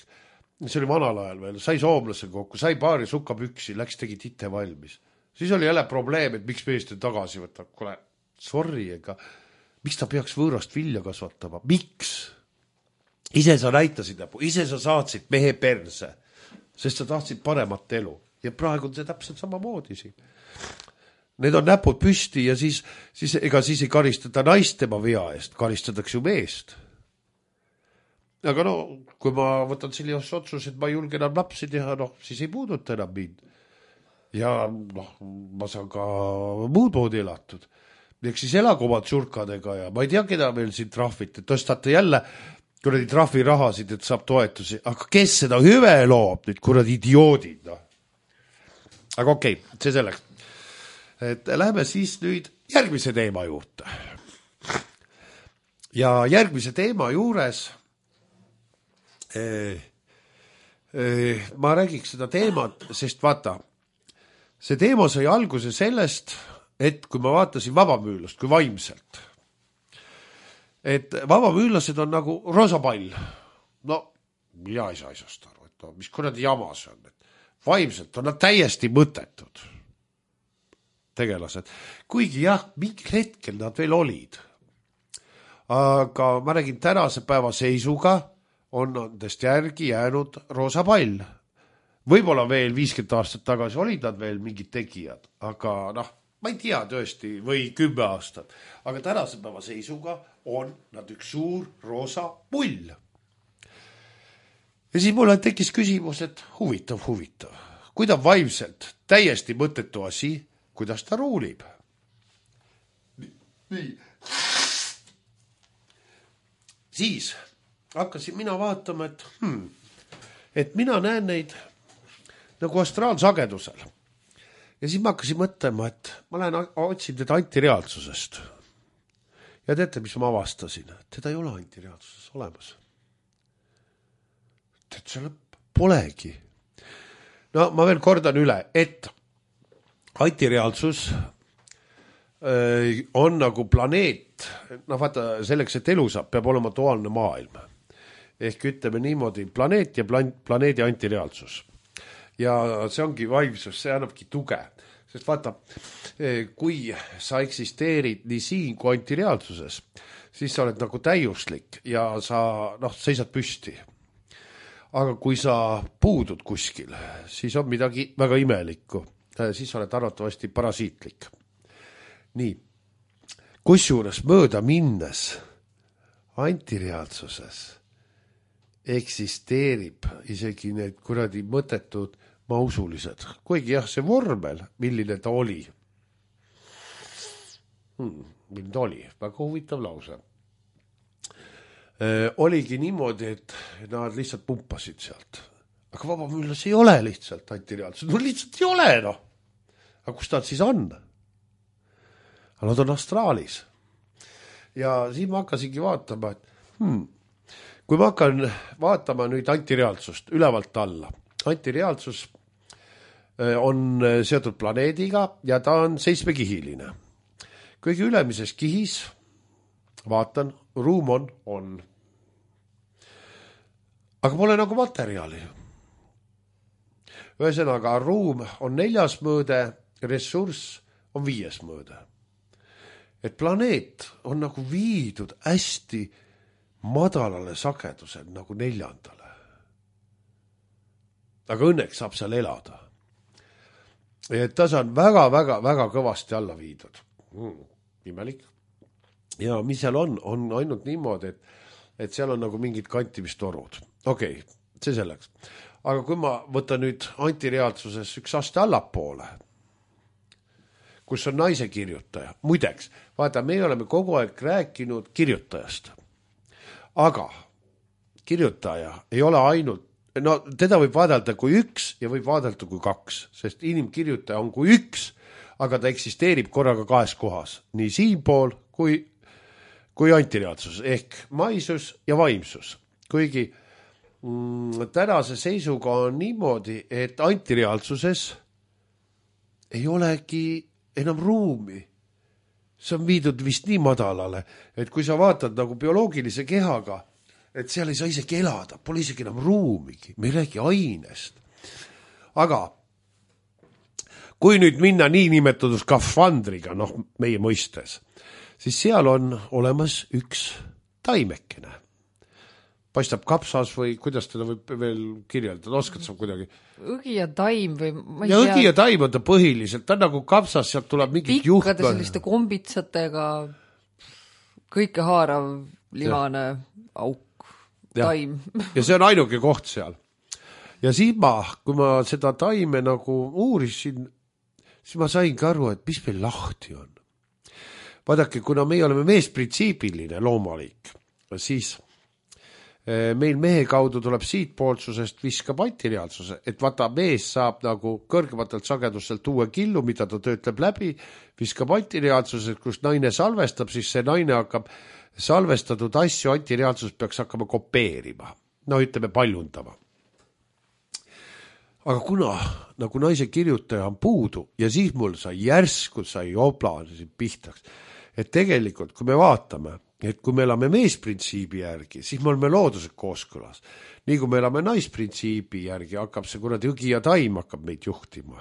see oli vanal ajal veel, sai soomlase kokku, sai paari sukapüksi, läks tegi tite valmis. Siis oli jälle probleem, et miks meest tagasi võtab. Kule, sorry, ega miks ta peaks võõrast vilja kasvatama? Miks? Ise sa näitasid näpu, ise sa saatsid mehe perse, sest sa tahtsid paremat elu. Ja praegu on see täpselt sama moodi siin. Need on näpud püsti ja siis, siis ega siis ei karistata naist tema vea eest, karistatakse ju meest. Aga no, kui ma võtan sellises otsus, et ma ei julge enam lapsi teha, noh, siis ei puuduta enam mind. Ja noh, ma saan ka muud moodi elatud. Eks siis elagu oma tšurkadega ja ma ei tea, keda meil siin trahvit, et tõstate jälle kuradi trahvi rahasid, et saab toetusi. Aga kes seda hüve loob, nüüd kuradi idioodid? No? Aga okei, okay, see selleks. Et läheme siis nüüd järgmise teema juurde. Ja järgmise teema juures eh, eh, ma räägiks seda teemat, sest vaata, see teema sai alguse sellest, et kui ma vaatasin vabamüülast, kui vaimselt, et vabamüülased on nagu roosapall. No, mina ei saa asjast aru, et no, mis kuradi jama see on. Et vaimselt on nad täiesti mõttetud tegelased. Kuigi jah, mingil hetkel nad veel olid. Aga ma räägin tänase päeva seisuga on nendest järgi jäänud roosapall. Võib-olla veel viiskümmend aastat tagasi olid nad veel mingid tegijad, aga noh, ma ei tea tõesti, või kümme aastat. Aga tänase päeva seisuga on nad üks suur roosa pull. Ja siis mulle tekkis küsimus, et huvitav, huvitav. Kui ta vaimselt täiesti mõttetu asi, kuidas ta ruulib? Nii. Siis hakkasin mina vaatama, et, hmm, et mina näen neid nagu astraalsagedusel. Ja siis ma hakkasin mõtlema, et ma lähen otsin teda antireaalsusest. Ja teate, mis ma avastasin? Teda ei ole antireaalsuses olemas. Tead, selle polegi. No ma veel kordan üle, et antireaalsus on nagu planeet, no vaata, selleks, et elu saab, peab olema duaalne maailm. Ehk ütleme niimoodi, planeet ja planeedi antireaalsus. Ja see ongi vaimsus, see annabki tuge. sest vaata, kui sa eksisteerid nii siin kui antireaalsuses, siis sa oled nagu täiuslik ja sa noh, seisad püsti. Aga kui sa puudud kuskil, siis on midagi väga imelikku. Siis sa oled arvatavasti parasiitlik. Nii, kusjuures mööda minnes antireaalsuses eksisteerib isegi need kuradi mõttetud mausulised. Kuigi jah, see vormel, milline ta oli. Hmm, milline ta oli? Väga huvitav lause. Äh, oligi niimoodi, et nad lihtsalt pumpasid sealt. Aga vabamüllas ei ole lihtsalt antireaalsus. No lihtsalt ei ole, noh. Aga kus ta siis on? Aga nad on astraalis. Ja siin ma hakkasingi vaatama, et hmm, kui ma hakkan vaatama nüüd antireaalsust ülevalt alla. Antireaalsus on seotud planeediga ja ta on seitsmekihiline. Kõige ülemises kihis, vaatan, ruum on, on. Aga pole nagu materjali. Ühesõnaga, ruum on neljas mõõde, ressurss on viies mõõde. Et planeet on nagu viidud hästi madalale sagedusel nagu neljandale. Aga õnneks saab seal elada. Et ta on väga, väga, väga kõvasti alla viidud. Mm, imelik. Ja mis seal on, on ainult niimoodi, et, et seal on nagu mingid kantimistorud. Okei, okay, see selleks. Aga kui ma võtan nüüd antireaalsuses üks aste allapoole, kus on naise kirjutaja. Muideks, vaata, me oleme kogu aeg rääkinud kirjutajast. Aga kirjutaja ei ole ainult, no teda võib vaadelda kui üks ja võib vaadelda kui kaks, sest inimkirjutaja on kui üks, aga ta eksisteerib korraga kahes kohas, nii siinpool kui, kui antireaalsus, ehk maisus ja vaimsus. Kuigi mm, tänase seisuga on niimoodi, et antireaalsuses ei olegi enam ruumi. See on viidud vist nii madalale, et kui sa vaatad nagu bioloogilise kehaga, et seal ei saa isegi elada, pole isegi enam ruumigi, me ei räägi ainest. Aga kui nüüd minna nii nimetatud skafandriga, noh meie mõistes, siis seal on olemas üks taimekene. Paistab kapsas või kuidas teda võib veel kirjeldada, oskad sa kuidagi? Õgi ja taim või ma ei ja tea. Õgi ja taim on ta põhiliselt, ta on nagu kapsas, sealt tuleb mingit juht. Pikkade selliste kombitsatega, kõike haarav, limane ja. Auk, taim. Ja. ja see on ainuke koht seal. Ja siis ma, kui ma seda taime nagu uurisin, siis ma saingi aru, et mis meil lahti on. Vaadake, kuna me oleme meesprintsiibiline loomalik, siis meil mehe kaudu tuleb siitpoolsusest viskab antireaalsuse, et vaata mees saab nagu kõrgematelt sagedustelt uue killu, mida ta töötleb läbi, viskab antireaalsuse, kus naine salvestab, siis see naine hakkab salvestatud asju, antireaalsus peaks hakkama kopeerima, no ütleme paljundama. Aga kuna nagu naise kirjutaja on puudu ja siis mul sai järsku sai oblasid pihtaks, et tegelikult kui me vaatame, et kui me elame meesprintsiibi järgi, siis me oleme loodused kooskõlas. Nii kui me elame naisprintsiibi järgi, hakkab see kuradi õgi ja taim hakkab meid juhtima.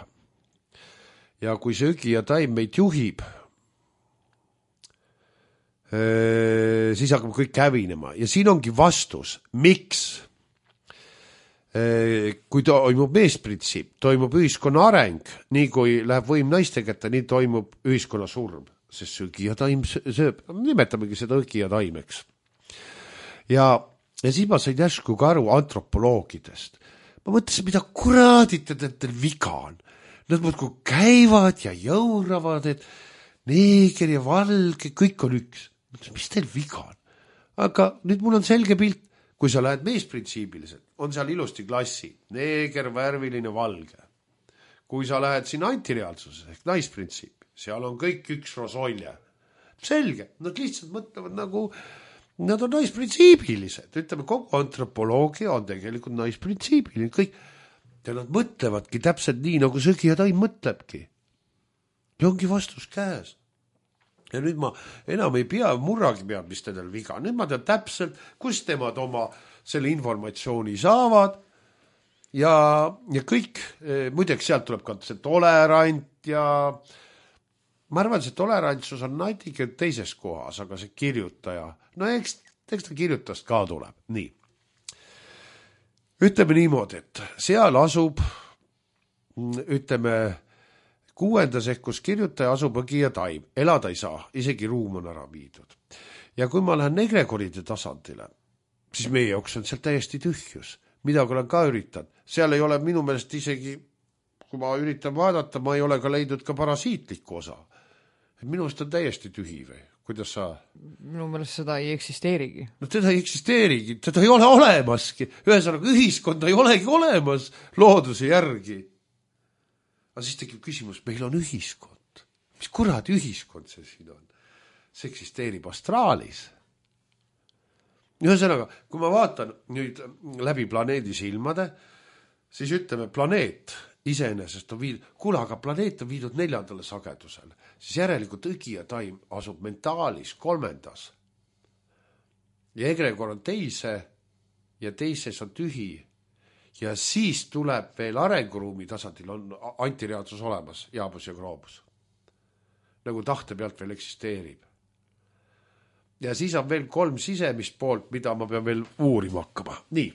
Ja kui see õgi ja taim meid juhib, siis hakkab kõik hävinema. Ja siin ongi vastus, miks? Kui toimub meesprintsiip, toimub ühiskonna areng, nii kui läheb võim naiste kätte, nii toimub ühiskonna surm. Sest õgi ja taim sööb, nimetamegi seda õgi ja taimeks. Ja, ja siis ma sain järsku ka aru antropoloogidest. Ma mõtlesin, mida kuradit, et teil viga on. Nad muudkui käivad ja jõuravad, et neeger ja valge, kõik on üks. Mõtlesin, mis teil viga on? Aga nüüd mul on selge pilt, kui sa lähed meesprintsiibiliselt, on seal ilusti klassi, neeger, värviline, valge. Kui sa lähed siin antireaalsuses ehk naisprintsiip, seal on kõik üks rosolje. Selge, nad lihtsalt mõtlevad nagu, nad on naisprintsiibilised. Ütleme, kogu antropoloogia on tegelikult naisprintsiibiline. Kõik, ja nad mõtlevadki täpselt nii, nagu sõgi ja taim mõtlebki. Ja ongi vastus käes. Ja nüüd ma enam ei pea, murragi peab, mis teil viga. Nüüd ma tean täpselt, kus temad oma selle informatsiooni saavad. Ja, ja kõik, muideks sealt tuleb ka see tolerant, ja ma arvan, see tolerantsus on natuke teises kohas, aga see kirjutaja, no eks, eks ta kirjutast ka tuleb. Nii. Ütleme niimoodi, et seal asub, ütleme, kuuendas ehk kus kirjutaja asub õgi ja taim. Elada ei saa, isegi ruum on ära viidud. Ja kui ma lähen egregoride tasandile, siis meie jaoks on seal täiesti tühjus. Midagi olen ka üritanud. Seal ei ole minu meelest isegi, kui ma üritan vaadata, ma ei ole ka leidnud ka parasiitlikku osa. Minu meelest on täiesti tühi või? Kuidas sa? Minu meelest seda ei eksisteerigi. No teda ei eksisteerigi, teda ei ole olemaski. Ühesõnaga, ühiskond ei olegi olemas looduse järgi. Aga siis tekib küsimus, meil on ühiskond. Mis kuradi ühiskond see siin on? See eksisteerib astraalis. Ühesõnaga, kui ma vaatan nüüd läbi planeedi silmade, siis ütleme, planeet iseenesest on viidud, kuule, aga planeet on viidud neljandale sagedusele, siis järelikult õgi ja taim asub mentaalis kolmendas. Ja egregor on teise ja teises on tühi. Ja siis tuleb veel arenguruumi tasandil on antireaalsus olemas, jaabus ja kroobus. Nagu tahte pealt veel eksisteerib. Ja siis on veel kolm sisemist poolt, mida ma pean veel uurima hakkama. Nii.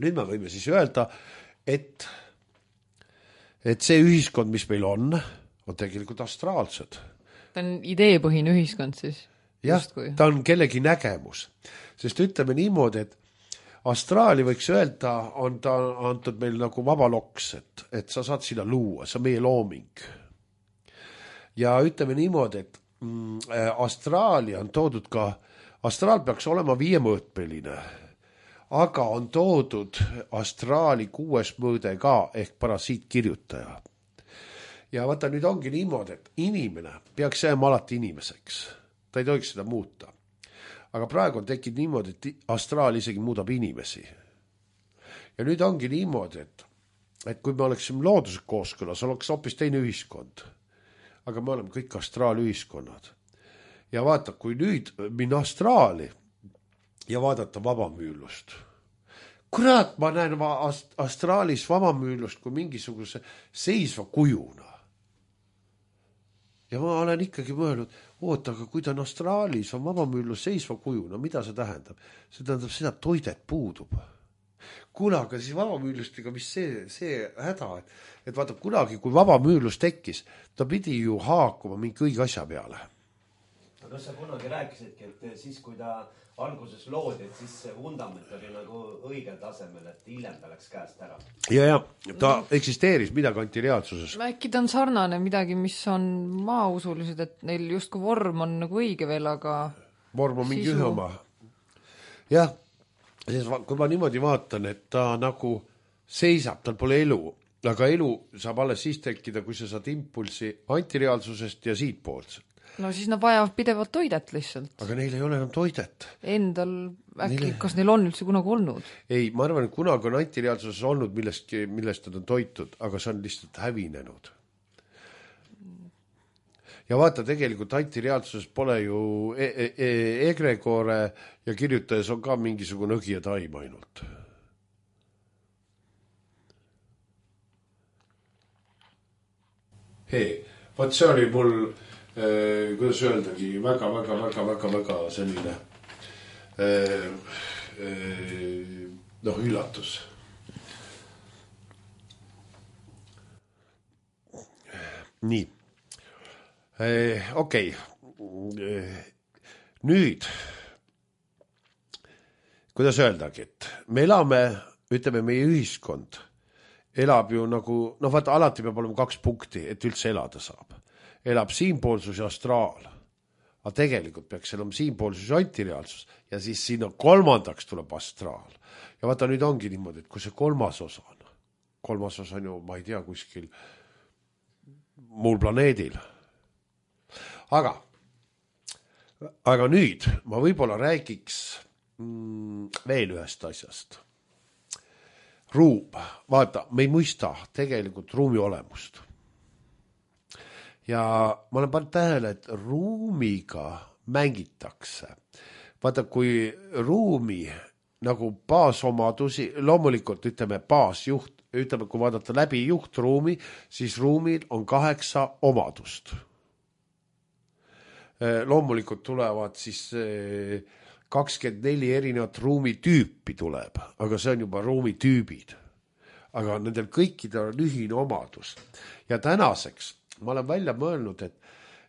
Nüüd me võime siis öelda, et, et see ühiskond, mis meil on, on tegelikult astraalsed. Ta on ideepõhine ühiskond siis? Jah, ta on kellegi nägemus. Sest ütleme niimoodi, et astraali võiks öelda, on ta antud meil nagu vaba loks, et, et sa saad sinna luua, see on meie looming. Ja ütleme niimoodi, et astraali on toodud ka, astraal peaks olema viiemõõtmeline, aga on toodud astraali kuues mõõde ka ehk parasiitkirjutaja. Ja vaata, nüüd ongi niimoodi, et inimene peaks jääma alati inimeseks. Ta ei tohiks seda muuta. Aga praegu on tekkinud niimoodi, et astraal isegi muudab inimesi. Ja nüüd ongi niimoodi, et, et kui me oleksime looduse kooskõlas, oleks hoopis teine ühiskond. Aga me oleme kõik astraalühiskonnad. Ja vaata, kui nüüd minna astraali ja vaadata vabamüülust. Kurat, ma näen astraalis vabamüülust kui mingisuguse seisva kujuna. Ja ma olen ikkagi mõelnud, oota, aga kui ta on astraalis, on vabamüülus seisva kujuna, mida see tähendab? See tähendab seda, et toidet puudub. Kuule, aga siis vabamüülustega, mis see, see häda, et, et vaata, kunagi, kui vabamüülus tekkis, ta pidi ju haakuma mingi õige asja peale. Aga kas sa kunagi rääkisidki, et siis, kui ta alguses loodi, et siis see vundament oli nagu õigel tasemel, et hiljem ta läks käest ära? Ja, ja, ta eksisteeris midagi antireaalsuses. Äkki ta on sarnane midagi, mis on maausulised, et neil justkui vorm on nagu õige veel, aga vorm on mingi sisu... ühe oma. Jah. Kui ma niimoodi vaatan, et ta nagu seisab, tal pole elu, aga elu saab alles siis tekkida, kui sa saad impulsi antireaalsusest ja siitpoolselt. No siis nad vajavad pidevalt toidet lihtsalt. Aga neil ei ole enam toidet. Endal äkki, neil... kas neil on üldse kunagi olnud? Ei, ma arvan, et kunagi on antireaalsuses olnud millest, millest nad on toitud, aga see on lihtsalt hävinenud. Ja vaata, tegelikult antireaalsuses pole ju e e e egregore ja kirjutajas on ka mingisugune õgi ja taim ainult. Hei, vaat see oli mul, äh, kuidas öeldagi, väga, väga, väga, väga, väga selline äh, äh, noh, üllatus. Nii. Okei, okay. Nüüd, kuidas öeldagi, et me elame, ütleme, meie ühiskond elab ju nagu, noh vaata, alati peab olema kaks punkti, et üldse elada saab. Elab siinpoolsus ja astraal. Aga tegelikult peaks elama siinpoolsus ja antireaalsus ja siis sinna kolmandaks tuleb astraal. Ja vaata, nüüd ongi niimoodi, et kui see kolmas osa on, kolmas osa on ju, ma ei tea, kuskil muul planeedil. Aga, aga nüüd ma võib-olla räägiks mm, veel ühest asjast. Ruum, vaata, me ei mõista tegelikult ruumi olemust. Ja ma olen pannud tähele, et ruumiga mängitakse. Vaata, kui ruumi nagu baasomadusi, loomulikult ütleme baasjuht, ütleme, kui vaadata läbi juhtruumi, siis ruumil on kaheksa omadust. Loomulikult tulevad siis kakskümmend neli erinevat ruumitüüpi tuleb, aga see on juba ruumitüübid. Aga nendel kõikidel on ühine omadus. Ja tänaseks ma olen välja mõelnud, et,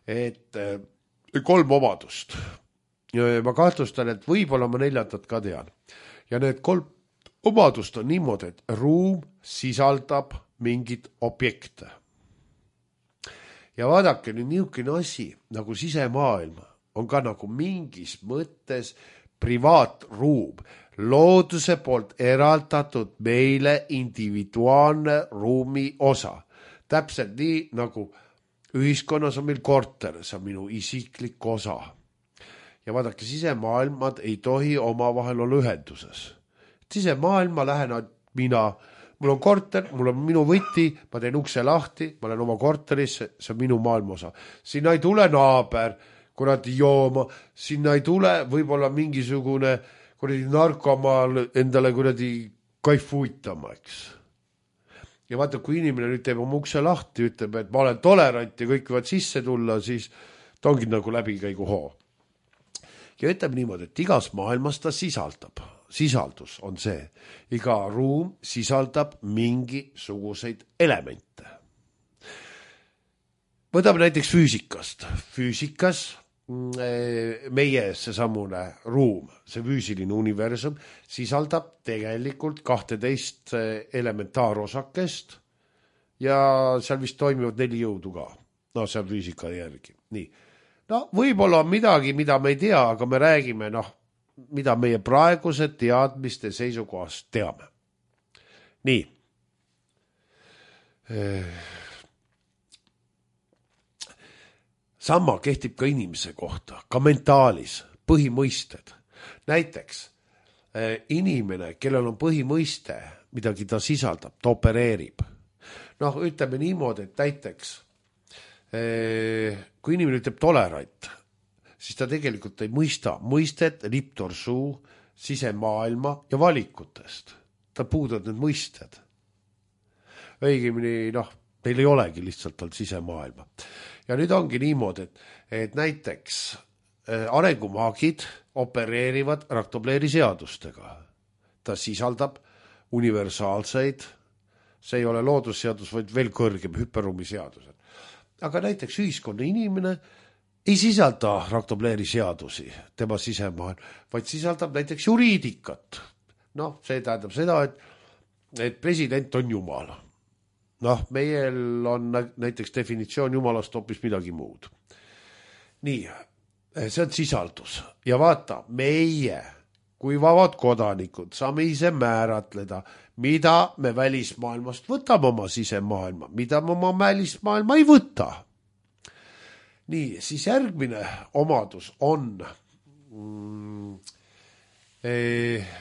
et kolm omadust. Ma kahtlustan, et võib-olla ma neljandat ka tean. Ja need kolm omadust on niimoodi, et ruum sisaldab mingit objekte. Ja vaadake, nüüd niisugune asi nagu sisemaailm on ka nagu mingis mõttes privaatruum, looduse poolt eraldatud meile individuaalne ruumi osa. Täpselt nii, nagu ühiskonnas on meil korter, see on minu isiklik osa. Ja vaadake, sisemaailmad ei tohi omavahel olla ühenduses. Sisemaailma lähen mina, mul on korter, mul on minu võti, ma teen ukse lahti, ma olen oma korteris, see on minu maailmosa. Sinna ei tule naaber, kuradi jooma, sinna ei tule võib-olla mingisugune kuradi narkomaal endale kuradi kaifuitama, eks. Ja vaata, kui inimene nüüd teeb oma ukse lahti, ütleb, et ma olen tolerant ja kõik võivad sisse tulla, siis ta ongi nagu läbikäigu hoo. Ja ütleb niimoodi, et igas maailmas ta sisaldab. Sisaldus on see. Iga ruum sisaldab mingisuguseid elemente. Võtame näiteks füüsikast. Füüsikas meie seesamune ruum, see füüsiline universum, sisaldab tegelikult kahteteist elementaarosakest ja seal vist toimivad neli jõudu ka. No see on füüsika järgi. Nii. No võib-olla on midagi, mida me ei tea, aga me räägime, noh, mida meie praeguse teadmiste seisukohast teame. Nii. Sama kehtib ka inimese kohta, ka mentaalis, põhimõisted. Näiteks inimene, kellel on põhimõiste, midagi ta sisaldab, ta opereerib. Noh, ütleme niimoodi, et näiteks kui inimene ütleb tolerant, siis ta tegelikult ei mõista mõistet, liptorsuu, sisemaailma ja valikutest. Ta puudud need mõisted. Õigemini, noh, neil ei olegi lihtsalt tal sisemaailma. Ja nüüd ongi niimoodi, et, et näiteks arengumaagid opereerivad Raktobleri seadustega. Ta sisaldab universaalseid, see ei ole loodusseadus, vaid veel kõrgem hüperruumi seadused. Aga näiteks ühiskonna inimene ei sisalda Raktobleri seadusi, tema sisemaailm, vaid sisaldab näiteks juriidikat. Noh, see tähendab seda, et, et president on jumal. Noh, meil on näiteks definitsioon jumalast hoopis midagi muud. Nii, see on sisaldus. Ja vaata, meie kui vabad kodanikud saame ise määratleda, mida me välismaailmast võtame oma sisemaailma, mida me oma välismaailma ei võta. Nii, siis järgmine omadus on mm, eh,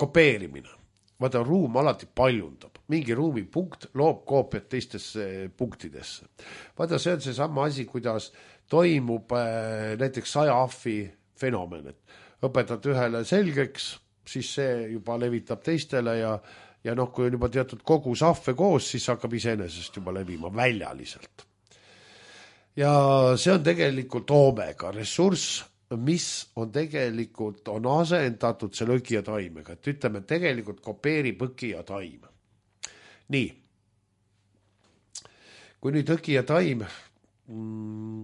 kopeerimine. Vaata, ruum alati paljundab. Mingi ruumi punkt loob koopiat teistesse punktidesse. Vaata, see on see sama asi, kuidas toimub äh, näiteks saja ahvi fenomen. Õpetad ühele selgeks, siis see juba levitab teistele ja, ja noh, kui on juba teatud kogus ahve koos, siis hakkab iseenesest juba levima väljaliselt. Ja see on tegelikult oomega ressurss, mis on tegelikult, on asendatud selle õgi ja taimega. Et ütleme, tegelikult kopeerib õgi ja taim. Nii. Kui nüüd õgi ja taim mm,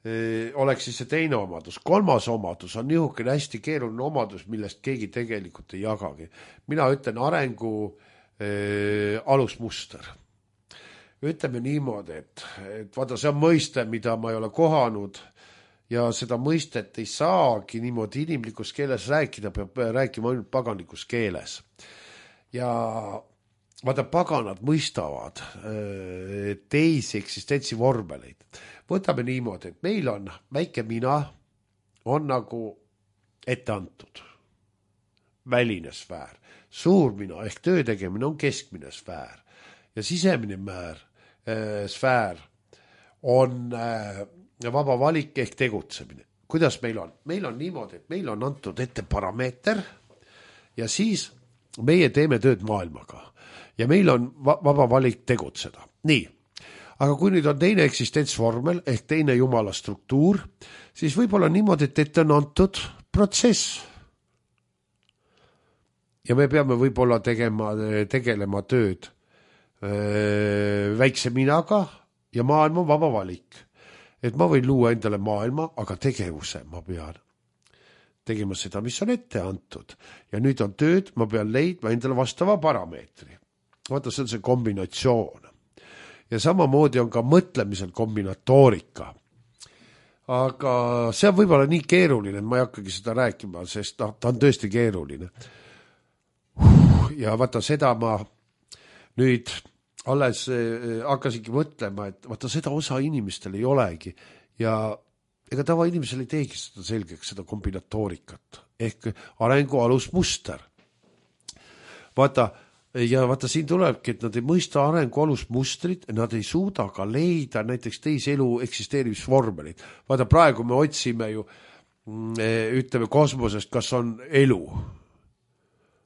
eh, oleks siis see teine omadus. Kolmas omadus on niisugune hästi keeruline omadus, millest keegi tegelikult ei jagagi. Mina ütlen arengu eh, alusmuster. Ütleme niimoodi, et, et vaata, see on mõiste, mida ma ei ole kohanud ja seda mõistet ei saagi niimoodi inimlikus keeles rääkida, peab rääkima ainult paganlikus keeles. Ja vaata, paganad mõistavad teisi eksistentsi vormeleid. Võtame niimoodi, et meil on väike mina, on nagu ette antud. Väline sfäär. Suur mina ehk töö tegemine on keskmine sfäär. Ja sisemine määr, äh, sfäär on äh, vaba valik ehk tegutsemine. Kuidas meil on? Meil on niimoodi, et meil on antud ette parameeter ja siis meie teeme tööd maailmaga ja meil on vaba valik tegutseda. Nii, aga kui nüüd on teine eksistentsvormel ehk teine jumala struktuur, siis võib-olla niimoodi, et ette on antud protsess. Ja me peame võib-olla tegema, tegelema tööd öö, väikse minaga ja maailm on vaba valik. Et ma võin luua endale maailma, aga tegevuse ma pean tegema seda, mis on ette antud. Ja nüüd on tööd, ma pean leidma endale vastava parameetri. Vaata, see on see kombinatsioon. Ja samamoodi on ka mõtlemisel kombinatoorika. Aga see on võib-olla nii keeruline, et ma ei hakkagi seda rääkima, sest ta on tõesti keeruline. Ja vaata, seda ma nüüd alles hakkasingi mõtlema, et vaata, seda osa inimestel ei olegi. Ja ega tava inimesel ei teegi seda selgeks, seda kombinatoorikat, ehk arengu alusmuster. Vaata, ja vaata, siin tulebki, et nad ei mõista arengu alusmustrit, nad ei suuda ka leida näiteks teise elu eksisteerimisvormelit. Vaata, praegu me otsime ju, ütleme, kosmosest, kas on elu.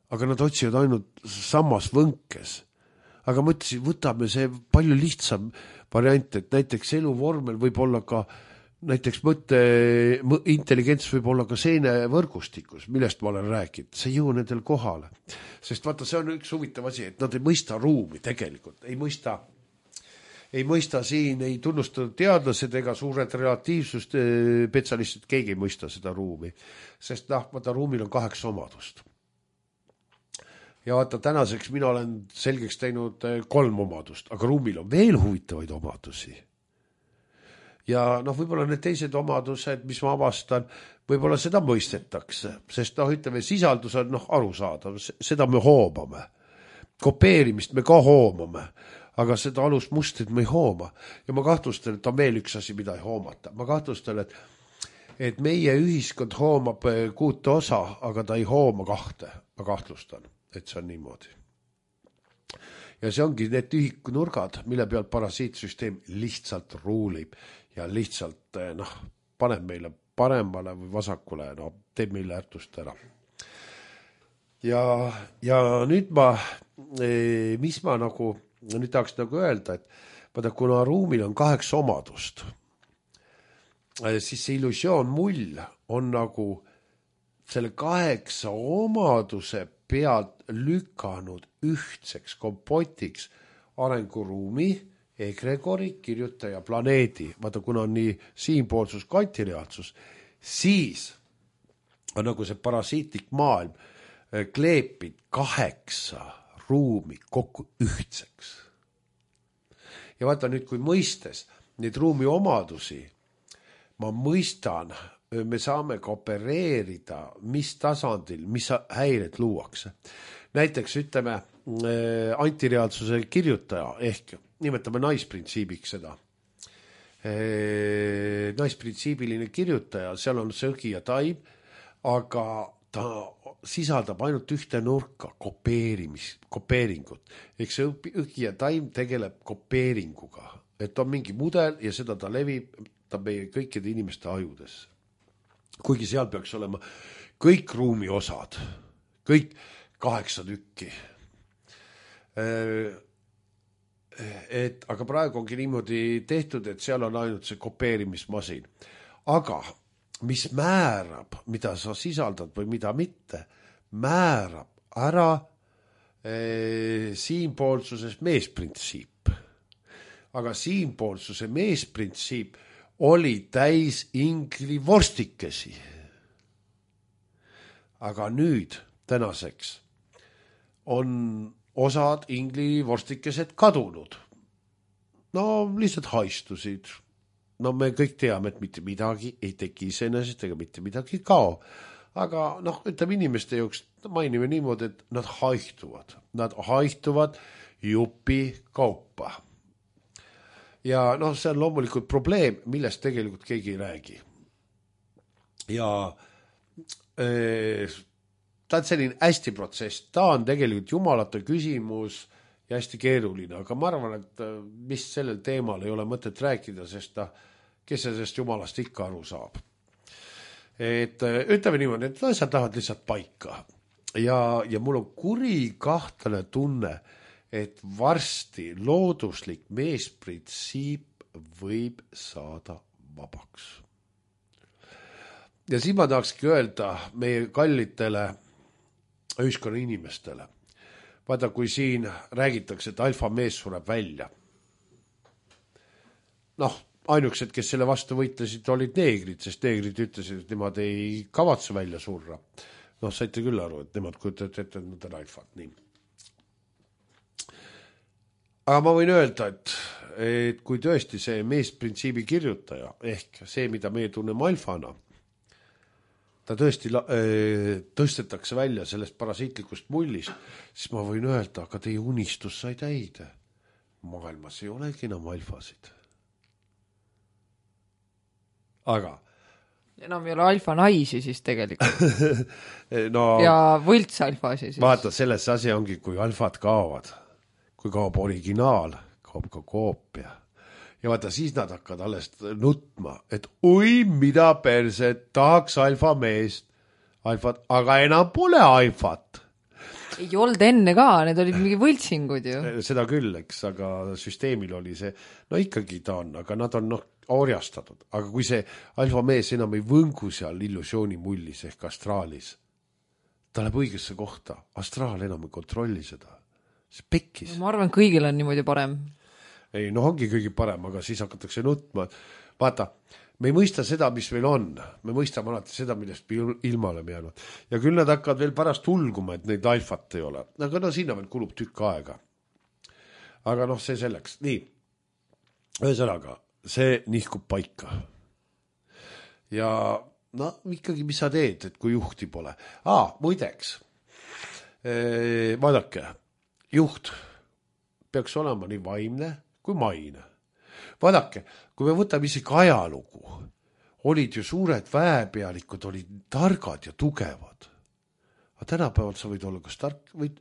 Aga nad otsivad ainult sammas võnkes. Aga ma ütlesin, võtame see palju lihtsam variant, et näiteks eluvormel võib olla ka näiteks mõtte, intelligents võib olla ka seene võrgustikus, millest ma olen rääkinud. See ei jõua nendel kohale. Sest vaata, see on üks huvitav asi, et nad ei mõista ruumi tegelikult. Ei mõista, ei mõista siin, ei tunnustatud teadlased ega suured relatiivsust spetsialistid, keegi ei mõista seda ruumi. Sest noh, vaata, ruumil on kaheksa omadust. Ja vaata, tänaseks mina olen selgeks teinud kolm omadust, aga ruumil on veel huvitavaid omadusi. Ja noh, võib-olla need teised omadused, mis ma avastan, võib-olla seda mõistetakse, sest noh, ütleme, sisaldus on noh, arusaadav, seda me hoomame. Kopeerimist me ka hoomame, aga seda alusmustrit me ei hooma. Ja ma kahtlustan, et on veel üks asi, mida ei hoomata. Ma kahtlustan, et, et meie ühiskond hoomab kuute osa, aga ta ei hooma kahte. Ma kahtlustan, et see on niimoodi. Ja see ongi need tühikunurgad, mille peal parasiitsüsteem lihtsalt ruulib ja lihtsalt noh, paneb meile paremale või vasakule, no teeb meile ärtust ära. Ja, ja nüüd ma, mis ma nagu, nüüd tahaks nagu öelda, et vaata, kuna ruumil on kaheks omadust, siis see illusioon mull on nagu selle kaheksa omaduse pealt lükanud ühtseks kompotiks arenguruumi, egregori, kirjutaja, planeedi. Vaata, kuna on nii siinpoolsus, kvantireaalsus, siis on nagu see parasiitlik maailm kleepid kaheksa ruumi kokku ühtseks. Ja vaata nüüd, kui mõistes neid ruumi omadusi, ma mõistan, me saame ka opereerida, mis tasandil, mis häired luuakse. Näiteks ütleme antireaalsuse kirjutaja ehk nimetame naisprintsiibiks seda. Naisprintsiibiline kirjutaja, seal on söögi ja taim, aga ta sisaldab ainult ühte nurka kopeerimis, kopeeringut. Ehk see õgi ja taim tegeleb kopeeringuga. Et on mingi mudel ja seda ta levib ta meie kõikide inimeste ajudesse. Kuigi seal peaks olema kõik ruumi osad, kõik kaheksa tükki. Et, aga praegu ongi niimoodi tehtud, et seal on ainult see kopeerimismasin. Aga mis määrab, mida sa sisaldad või mida mitte, määrab ära e, siinpoolsuses meesprintsiip. Aga siinpoolsuse meesprintsiip oli täis ingli vorstikesi. Aga nüüd, tänaseks, on osad ingli vorstikesed kadunud. No lihtsalt haistusid. No me kõik teame, et mitte midagi ei teki iseenesest ega mitte midagi kao. Aga noh, ütleme inimeste jooks mainime niimoodi, et nad haihtuvad. Nad haihtuvad jupi kaupa. Ja noh, see on loomulikult probleem, millest tegelikult keegi ei räägi. Ja ee, ta on selline hästi protsess, ta on tegelikult jumalate küsimus ja hästi keeruline, aga ma arvan, et mis sellel teemal ei ole mõtet rääkida, sest ta, kes sellest jumalast ikka aru saab. Et ütleme niimoodi, et asjad lähevad lihtsalt paika. ja, ja mul on kuri kahtlane tunne, et varsti looduslik meesprintsiip võib saada vabaks. Ja siin ma tahakski öelda meie kallitele ühiskonna inimestele. Vaata, kui siin räägitakse, et alfa mees sureb välja. Noh, ainukesed, kes selle vastu võitlesid, olid neegrid, sest neegrid ütlesid, et nemad ei kavatse välja surra. Noh, saite küll aru, et nemad kujutavad ette, et nad on alfad. Nii. Aga ma võin öelda, et, et kui tõesti see meesprintsiibi kirjutaja, ehk see, mida meie tunneme alfana, ta tõesti tõstetakse välja sellest parasiitlikust mullist, siis ma võin öelda, aga teie unistus sai täide. Maailmas ei olegi enam alfasid. Aga enam ei ole alfa naisi siis tegelikult. no, ja võlts alfasi siis. Vaata, selles asi ongi, kui alfad kaovad, kui kaob originaal, kaob ka koopia. Ja vaata, siis nad hakkavad alles nutma, et oi, mida perse, tahaks alfa meest, alfat, aga enam pole alfat. Ei olnud enne ka, need olid mingi võltsingud ju. Seda küll, eks, aga süsteemil oli see, no ikkagi ta on, aga nad on noh, orjastatud. Aga kui see alfa mees enam ei võngu seal illusiooni mullis ehk astraalis, ta läheb õigesse kohta, astraal enam ei kontrolli seda. See pekkis. Ma arvan, kõigil on niimoodi parem. Ei, no ongi kõigi parem, aga siis hakatakse nutma. Vaata, me ei mõista seda, mis meil on. Me mõistame alati seda, millest me ilma oleme jäänud. Ja küll nad hakkavad veel pärast hulguma, et neid alfat ei ole. Aga no sinna veel kulub tükk aega. Aga noh, see selleks. Nii, ühesõnaga, see nihkub paika. Ja no ikkagi, mis sa teed, et kui juhti pole? Aa, muideks, e, vaadake, juht peaks olema nii vaimne kui maine. Vaadake, kui me võtame isegi ajalugu, olid ju suured väepealikud, olid targad ja tugevad. Aga tänapäeval sa võid olla kas tark või,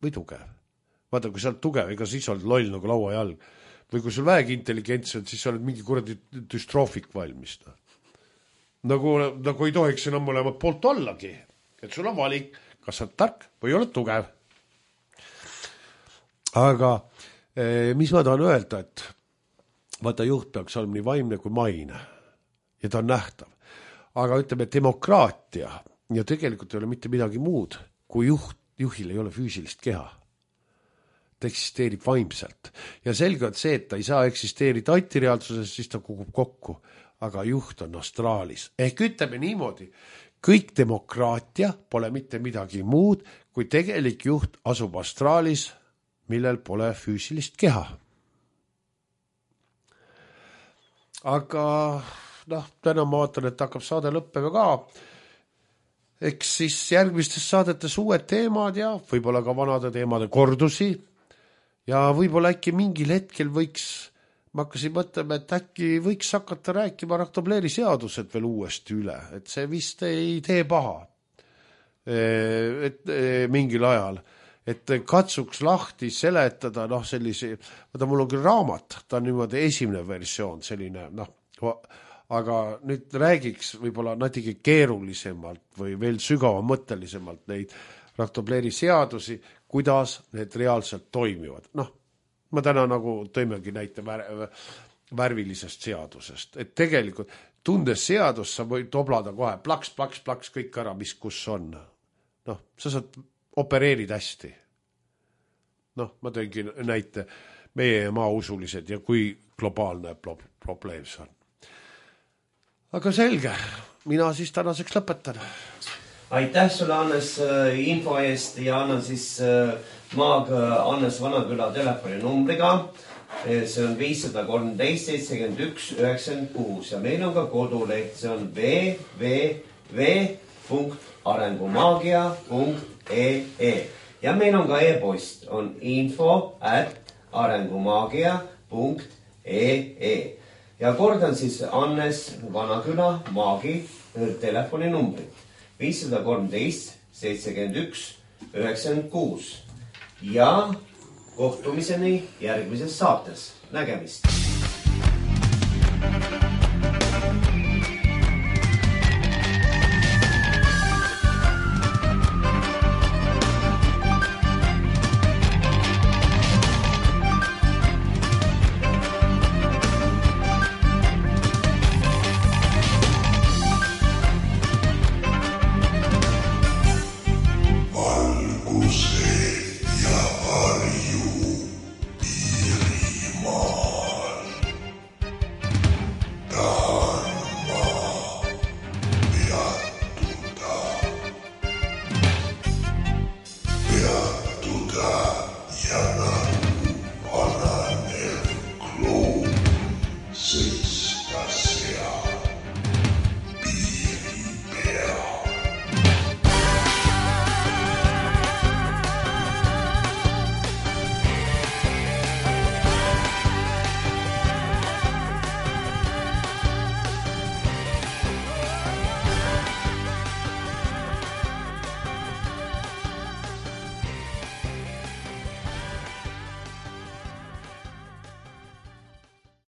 või tugev. Vaata, kui sa oled tugev, ega siis oled loll nagu laua jalg. Või kui sul väegi intelligentsi, siis sa oled mingi kuradi düstroofik valmis. Nagu, nagu ei tohiks enam olema poolt ollagi. Et sul on valik, kas sa oled tark või oled tugev. Aga mis ma tahan öelda, et vaata, juht peaks olema nii vaimne kui maine ja ta on nähtav. Aga ütleme, demokraatia ja tegelikult ei ole mitte midagi muud, kui juht, juhil ei ole füüsilist keha. Ta eksisteerib vaimselt. Ja selge on see, et ta ei saa eksisteerida antireaalsuses, siis ta kukub kokku. Aga juht on astraalis. Ehk ütleme niimoodi, kõik demokraatia pole mitte midagi muud, kui tegelik juht asub astraalis, millel pole füüsilist keha. Aga noh, täna ma vaatan, et hakkab saade lõppema ka. Eks siis järgmistes saadetes uued teemad ja võib-olla ka vanade teemade kordusi. Ja võib-olla äkki mingil hetkel võiks, ma hakkasin mõtlema, et äkki võiks hakata rääkima Raktobleri seadused veel uuesti üle. Et see vist ei tee paha. Et mingil ajal. Et katsuks lahti seletada, noh sellise, vaata mul on küll raamat, ta on niimoodi esimene versioon, selline, noh, aga nüüd räägiks võib-olla natuke keerulisemalt või veel sügavamõttelisemalt neid Raktobleri seadusi, kuidas need reaalselt toimivad. Noh, ma täna nagu tõimegi näite vär, värvilisest seadusest, et tegelikult tundes seadust sa võid toblada kohe plaks, plaks, plaks kõik ära, mis kus on. Noh, sa saad opereerid hästi. Noh, ma tõingi näite meie maausulised ja kui globaalne probleem see on. Aga selge, mina siis tänaseks lõpetan. Aitäh sulle, Annes, info eest ja annan siis maag Annes Vanaküla telefoni numbriga. See on viis kolm seitse seitsekümmend üks üheksakümmend kuus ja meil on ka koduleht, see on w w w punkt arengumaagia punkt e e ja meil on ka e-post, on info at arengumaagia punkt e e ja kordan siis Annes Vanaküla maagi telefoninumbrit viis kolm seitsekümmend üks üheksakümmend kuus ja kohtumiseni järgmises saates. Nägemist!